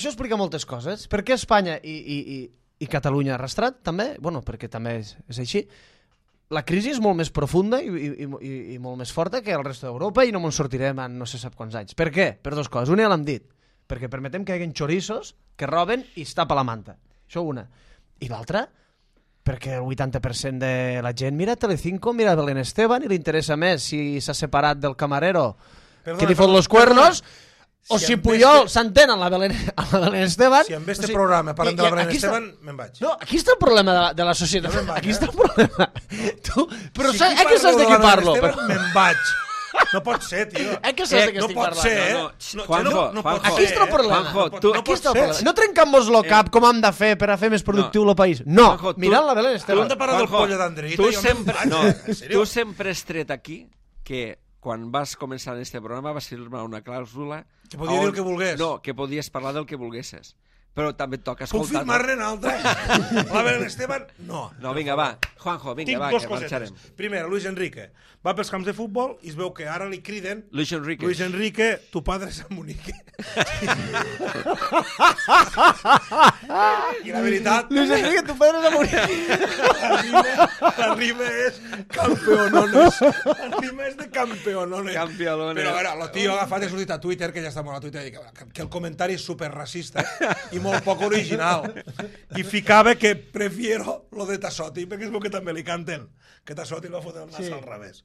explica moltes coses. Per què Espanya i Catalunya arrastrat, també? Bueno, perquè també és així. La crisi és molt més profunda i molt més forta que el resto d'Europa i no ens sortirem en no sé sap quants anys. Per què? Per 2 coses. Una ja l'hem dit. Perquè permetem que hi hagi xorissos que roben i es tapa la manta. Això una. I l'altra, perquè el 80% de la gent mira Telecinco, mira Belén Esteban i li interessa més si s'ha separat del camarero que li fot los cuernos... O si Puyol s'entén amb la Belén Esteban... Si amb este programa parlem de la Belén Esteban, me'n vaig. No, aquí està el problema de la societat. Aquí està el problema. Però a què saps de qui parlo? Me'n vaig. No pot ser, tio. Que saps de què estic parlant? No pot ser, Juanjo, Aquí està el problema. Aquí està el problema. No trencam-nos el cap com hem de fer per a fer més productiu el país. No, mirant la Belén Esteban. Tu hem de parlar del pollo d'Andrita. Tu sempre has tret aquí que quan vas començar en este programa vas firmar una clàusula... Que podia dir el que volgués. No, que podies parlar del que volguessis. Però també et toca escoltar... Puc firmar-ne en altre? La Belén Esteban, no. No, vinga, va. Juanjo, vinga, va, que marxarem. Primera, Luis Enrique. Va pels camps de futbol i es veu que ara li criden... Luis Enrique. Luis Enrique, tu padre és a Munique. I la veritat... Luis Enrique, tu padre és a Munique. La rima és campeonones. La rima és de campeonones. Campeonones. Però, a veure, el tio ha agafat i ha sortit a Twitter, que ja està molt a Twitter, que el comentari és superracista i molt poc original. I ficava que prefiero lo de Tassotti, perquè es veu que també li canten. Que Tassotti va fotre el nas al revés.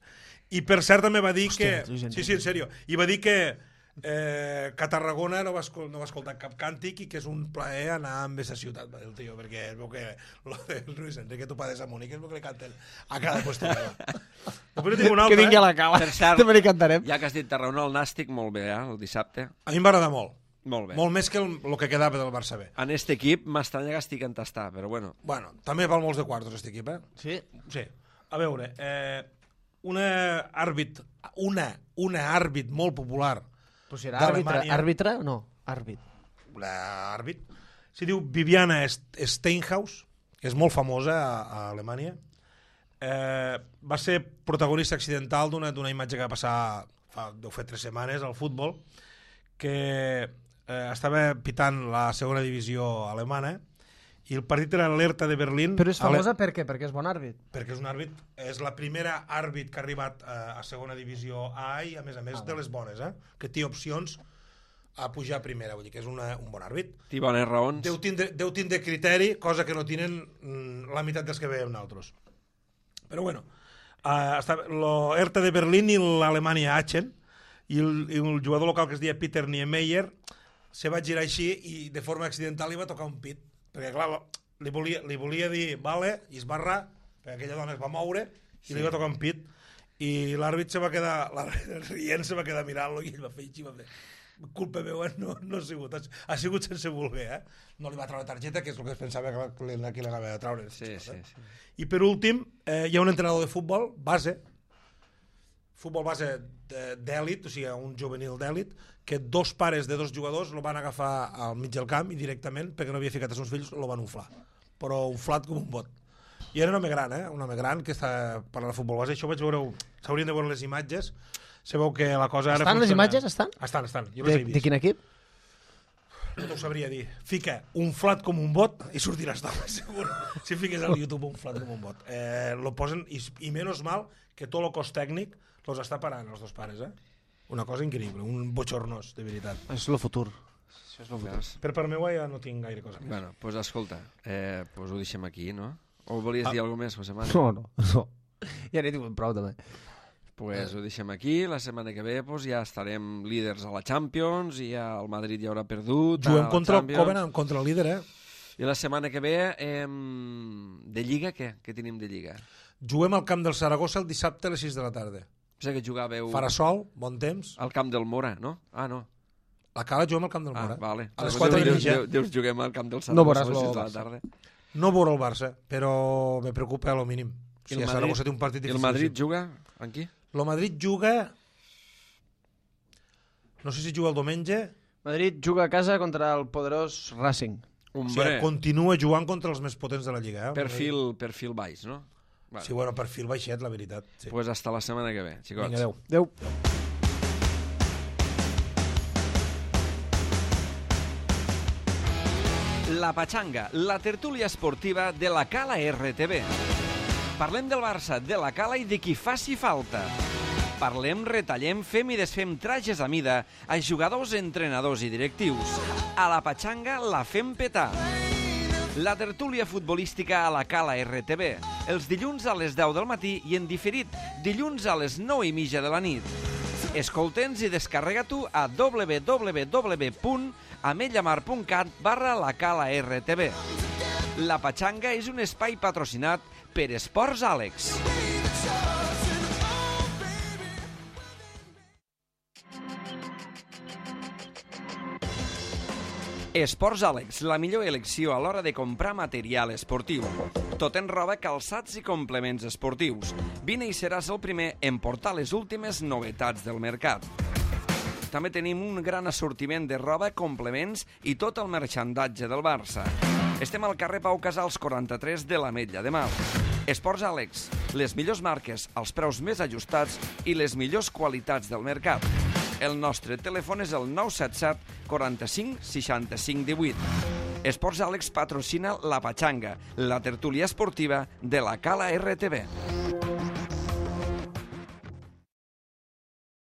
I per cert també va dir que... Sí, en sèrio. I va dir que a Tarragona no va escoltar cap càntic i que és un plaer anar amb aquesta ciutat, va dir el tio, perquè es veu que lo de Luis Enrique, tu padres a Munique, es veu que li canten a cada qüestió. Que vingui a la cala. Per cert, també li cantarem. ja que has dit Tarragona, el Nàstic, molt bé, el dissabte. A mi em va agradar molt. Molt bé. Molt més que el que quedava del Barça B. En este equip m'estranya que estic en tastar, però bueno. Bueno, també val molts de quartos, aquest equip, eh? Sí? Sí. A veure, una àrbit molt popular Però si era àrbitre o no? Àrbit. L'àrbit s'hi diu Viviana Steinhaus, que és molt famosa a Alemanya. Va ser protagonista accidental d'una imatge que va passar deu fer 3 setmanes al futbol, que estava pitant la segona divisió alemana i el partit era l'Hertha de Berlín. Però és famosa per què? Perquè és bon àrbit. Perquè és un àrbit, és la primera àrbit que ha arribat a segona divisió A i a més de les bones, que té opcions a pujar a primera, vull dir que és un bon àrbit. Té bones raons. Deu tindre criteri, cosa que no tenen la meitat dels que veiem nosaltres. Però bueno, l'Hertha de Berlín i l'Alemanya Aachen, i el jugador local que es deia Peter Niemeyer se va girar així i de forma accidental li va tocar un pit, perquè clar, li volia dir vale, i es va errar, perquè aquella dona es va moure i li va tocar un pit, i l'àrbit se va quedar rient, se va quedar mirant-lo i ell va fer així, va fer culpa meva, no ha sigut sense voler, no li va treure targeta, que és el que es pensava que aquí l'anava a treure. Sí. I per últim, hi ha un entrenador de futbol base d'èlit, o sigui, un juvenil d'èlit, que 2 pares de 2 jugadors el van agafar al mig del camp i directament, perquè no havia ficat els seus fills, el van inflar. Però inflat com un bot. I era un home gran, un home gran que està parlant de futbol base. Això vaig veure, s'haurien de veure les imatges. Se veu que la cosa ara estan les imatges? Estan? Estan. Jo les he vist. De quin equip? No t'ho sabria dir. Fica inflat com un bot i sortiràs d'home, segur. Si fiques al YouTube inflat com un bot. Lo posen, i menys mal que tot el cos tècnic els està parant, els 2 pares, Una cosa increïble, un bochornós, de veritat. És el futur. Això és el futur. Per part meva ja no tinc gaire cosa més. Bueno, doncs escolta, ho deixem aquí, no? O volies dir alguna més, José Manuel? No. Ja n'he tingut prou, també. Pues ho deixem aquí, la setmana que ve ja estarem líders a la Champions i el Madrid ja haurà perdut. Juguem contra el Covenant, contra el líder, I la setmana que ve, de Lliga, què? Què tenim de Lliga? Juguem al camp del Saragossa el dissabte a les 6 de la tarda. Pensa que jugàveu... Farà sol, bon temps. Al camp del Mora, no? Ah, no. La Cala juguem al camp del Mora. Vale. A les 4:30. Dius, juguem al camp del Saragossa no veuràs a les 6 de la tarda. No veurà el Barça, però me preocupa a lo mínim. O sigui, Saragossa té un partit difícil. I el Madrid juga amb qui? El Madrid juga... No sé si juga el diumenge. Madrid juga a casa contra el poderós Racing. O sigui, continua jugant contra els més potents de la Lliga. Perfil baix, no? Vale. Sí, bueno, perfil baixet, la veritat. Sí. Pues hasta la setmana que ve, xicots. Vinga, adeu. Adeu. La Pachanga, la tertúlia esportiva de la Cala RTV. Parlem del Barça, de la Cala i de qui faci falta. Parlem, retallem, fem i desfem trajes a mida a jugadors, entrenadors i directius. A la Pachanga la fem petar. La tertúlia futbolística a la Cala RTV, els dilluns a les 10 del matí i en diferit dilluns a les 9:30 de la nit. Escolta'ns i descarrega-t'ho a www.ametlllamar.cat/la Cala RTV. La Pachanga és un espai patrocinat per Esports Àlex. Esports Àlex, la millor elecció a l'hora de comprar material esportiu. Tot en roba, calçats i complements esportius. Vine i seràs el primer en portar les últimes novetats del mercat. També tenim un gran assortiment de roba, complements i tot el marxandatge del Barça. Estem al carrer Pau Casals 43 de l'Ametlla de Mar. Esports Àlex, les millors marques, els preus més ajustats i les millors qualitats del mercat. El nostre telèfon és el 977 45 65 18. Esports Àlex patrocina La Pachanga, la tertúlia esportiva de la Cala RTV.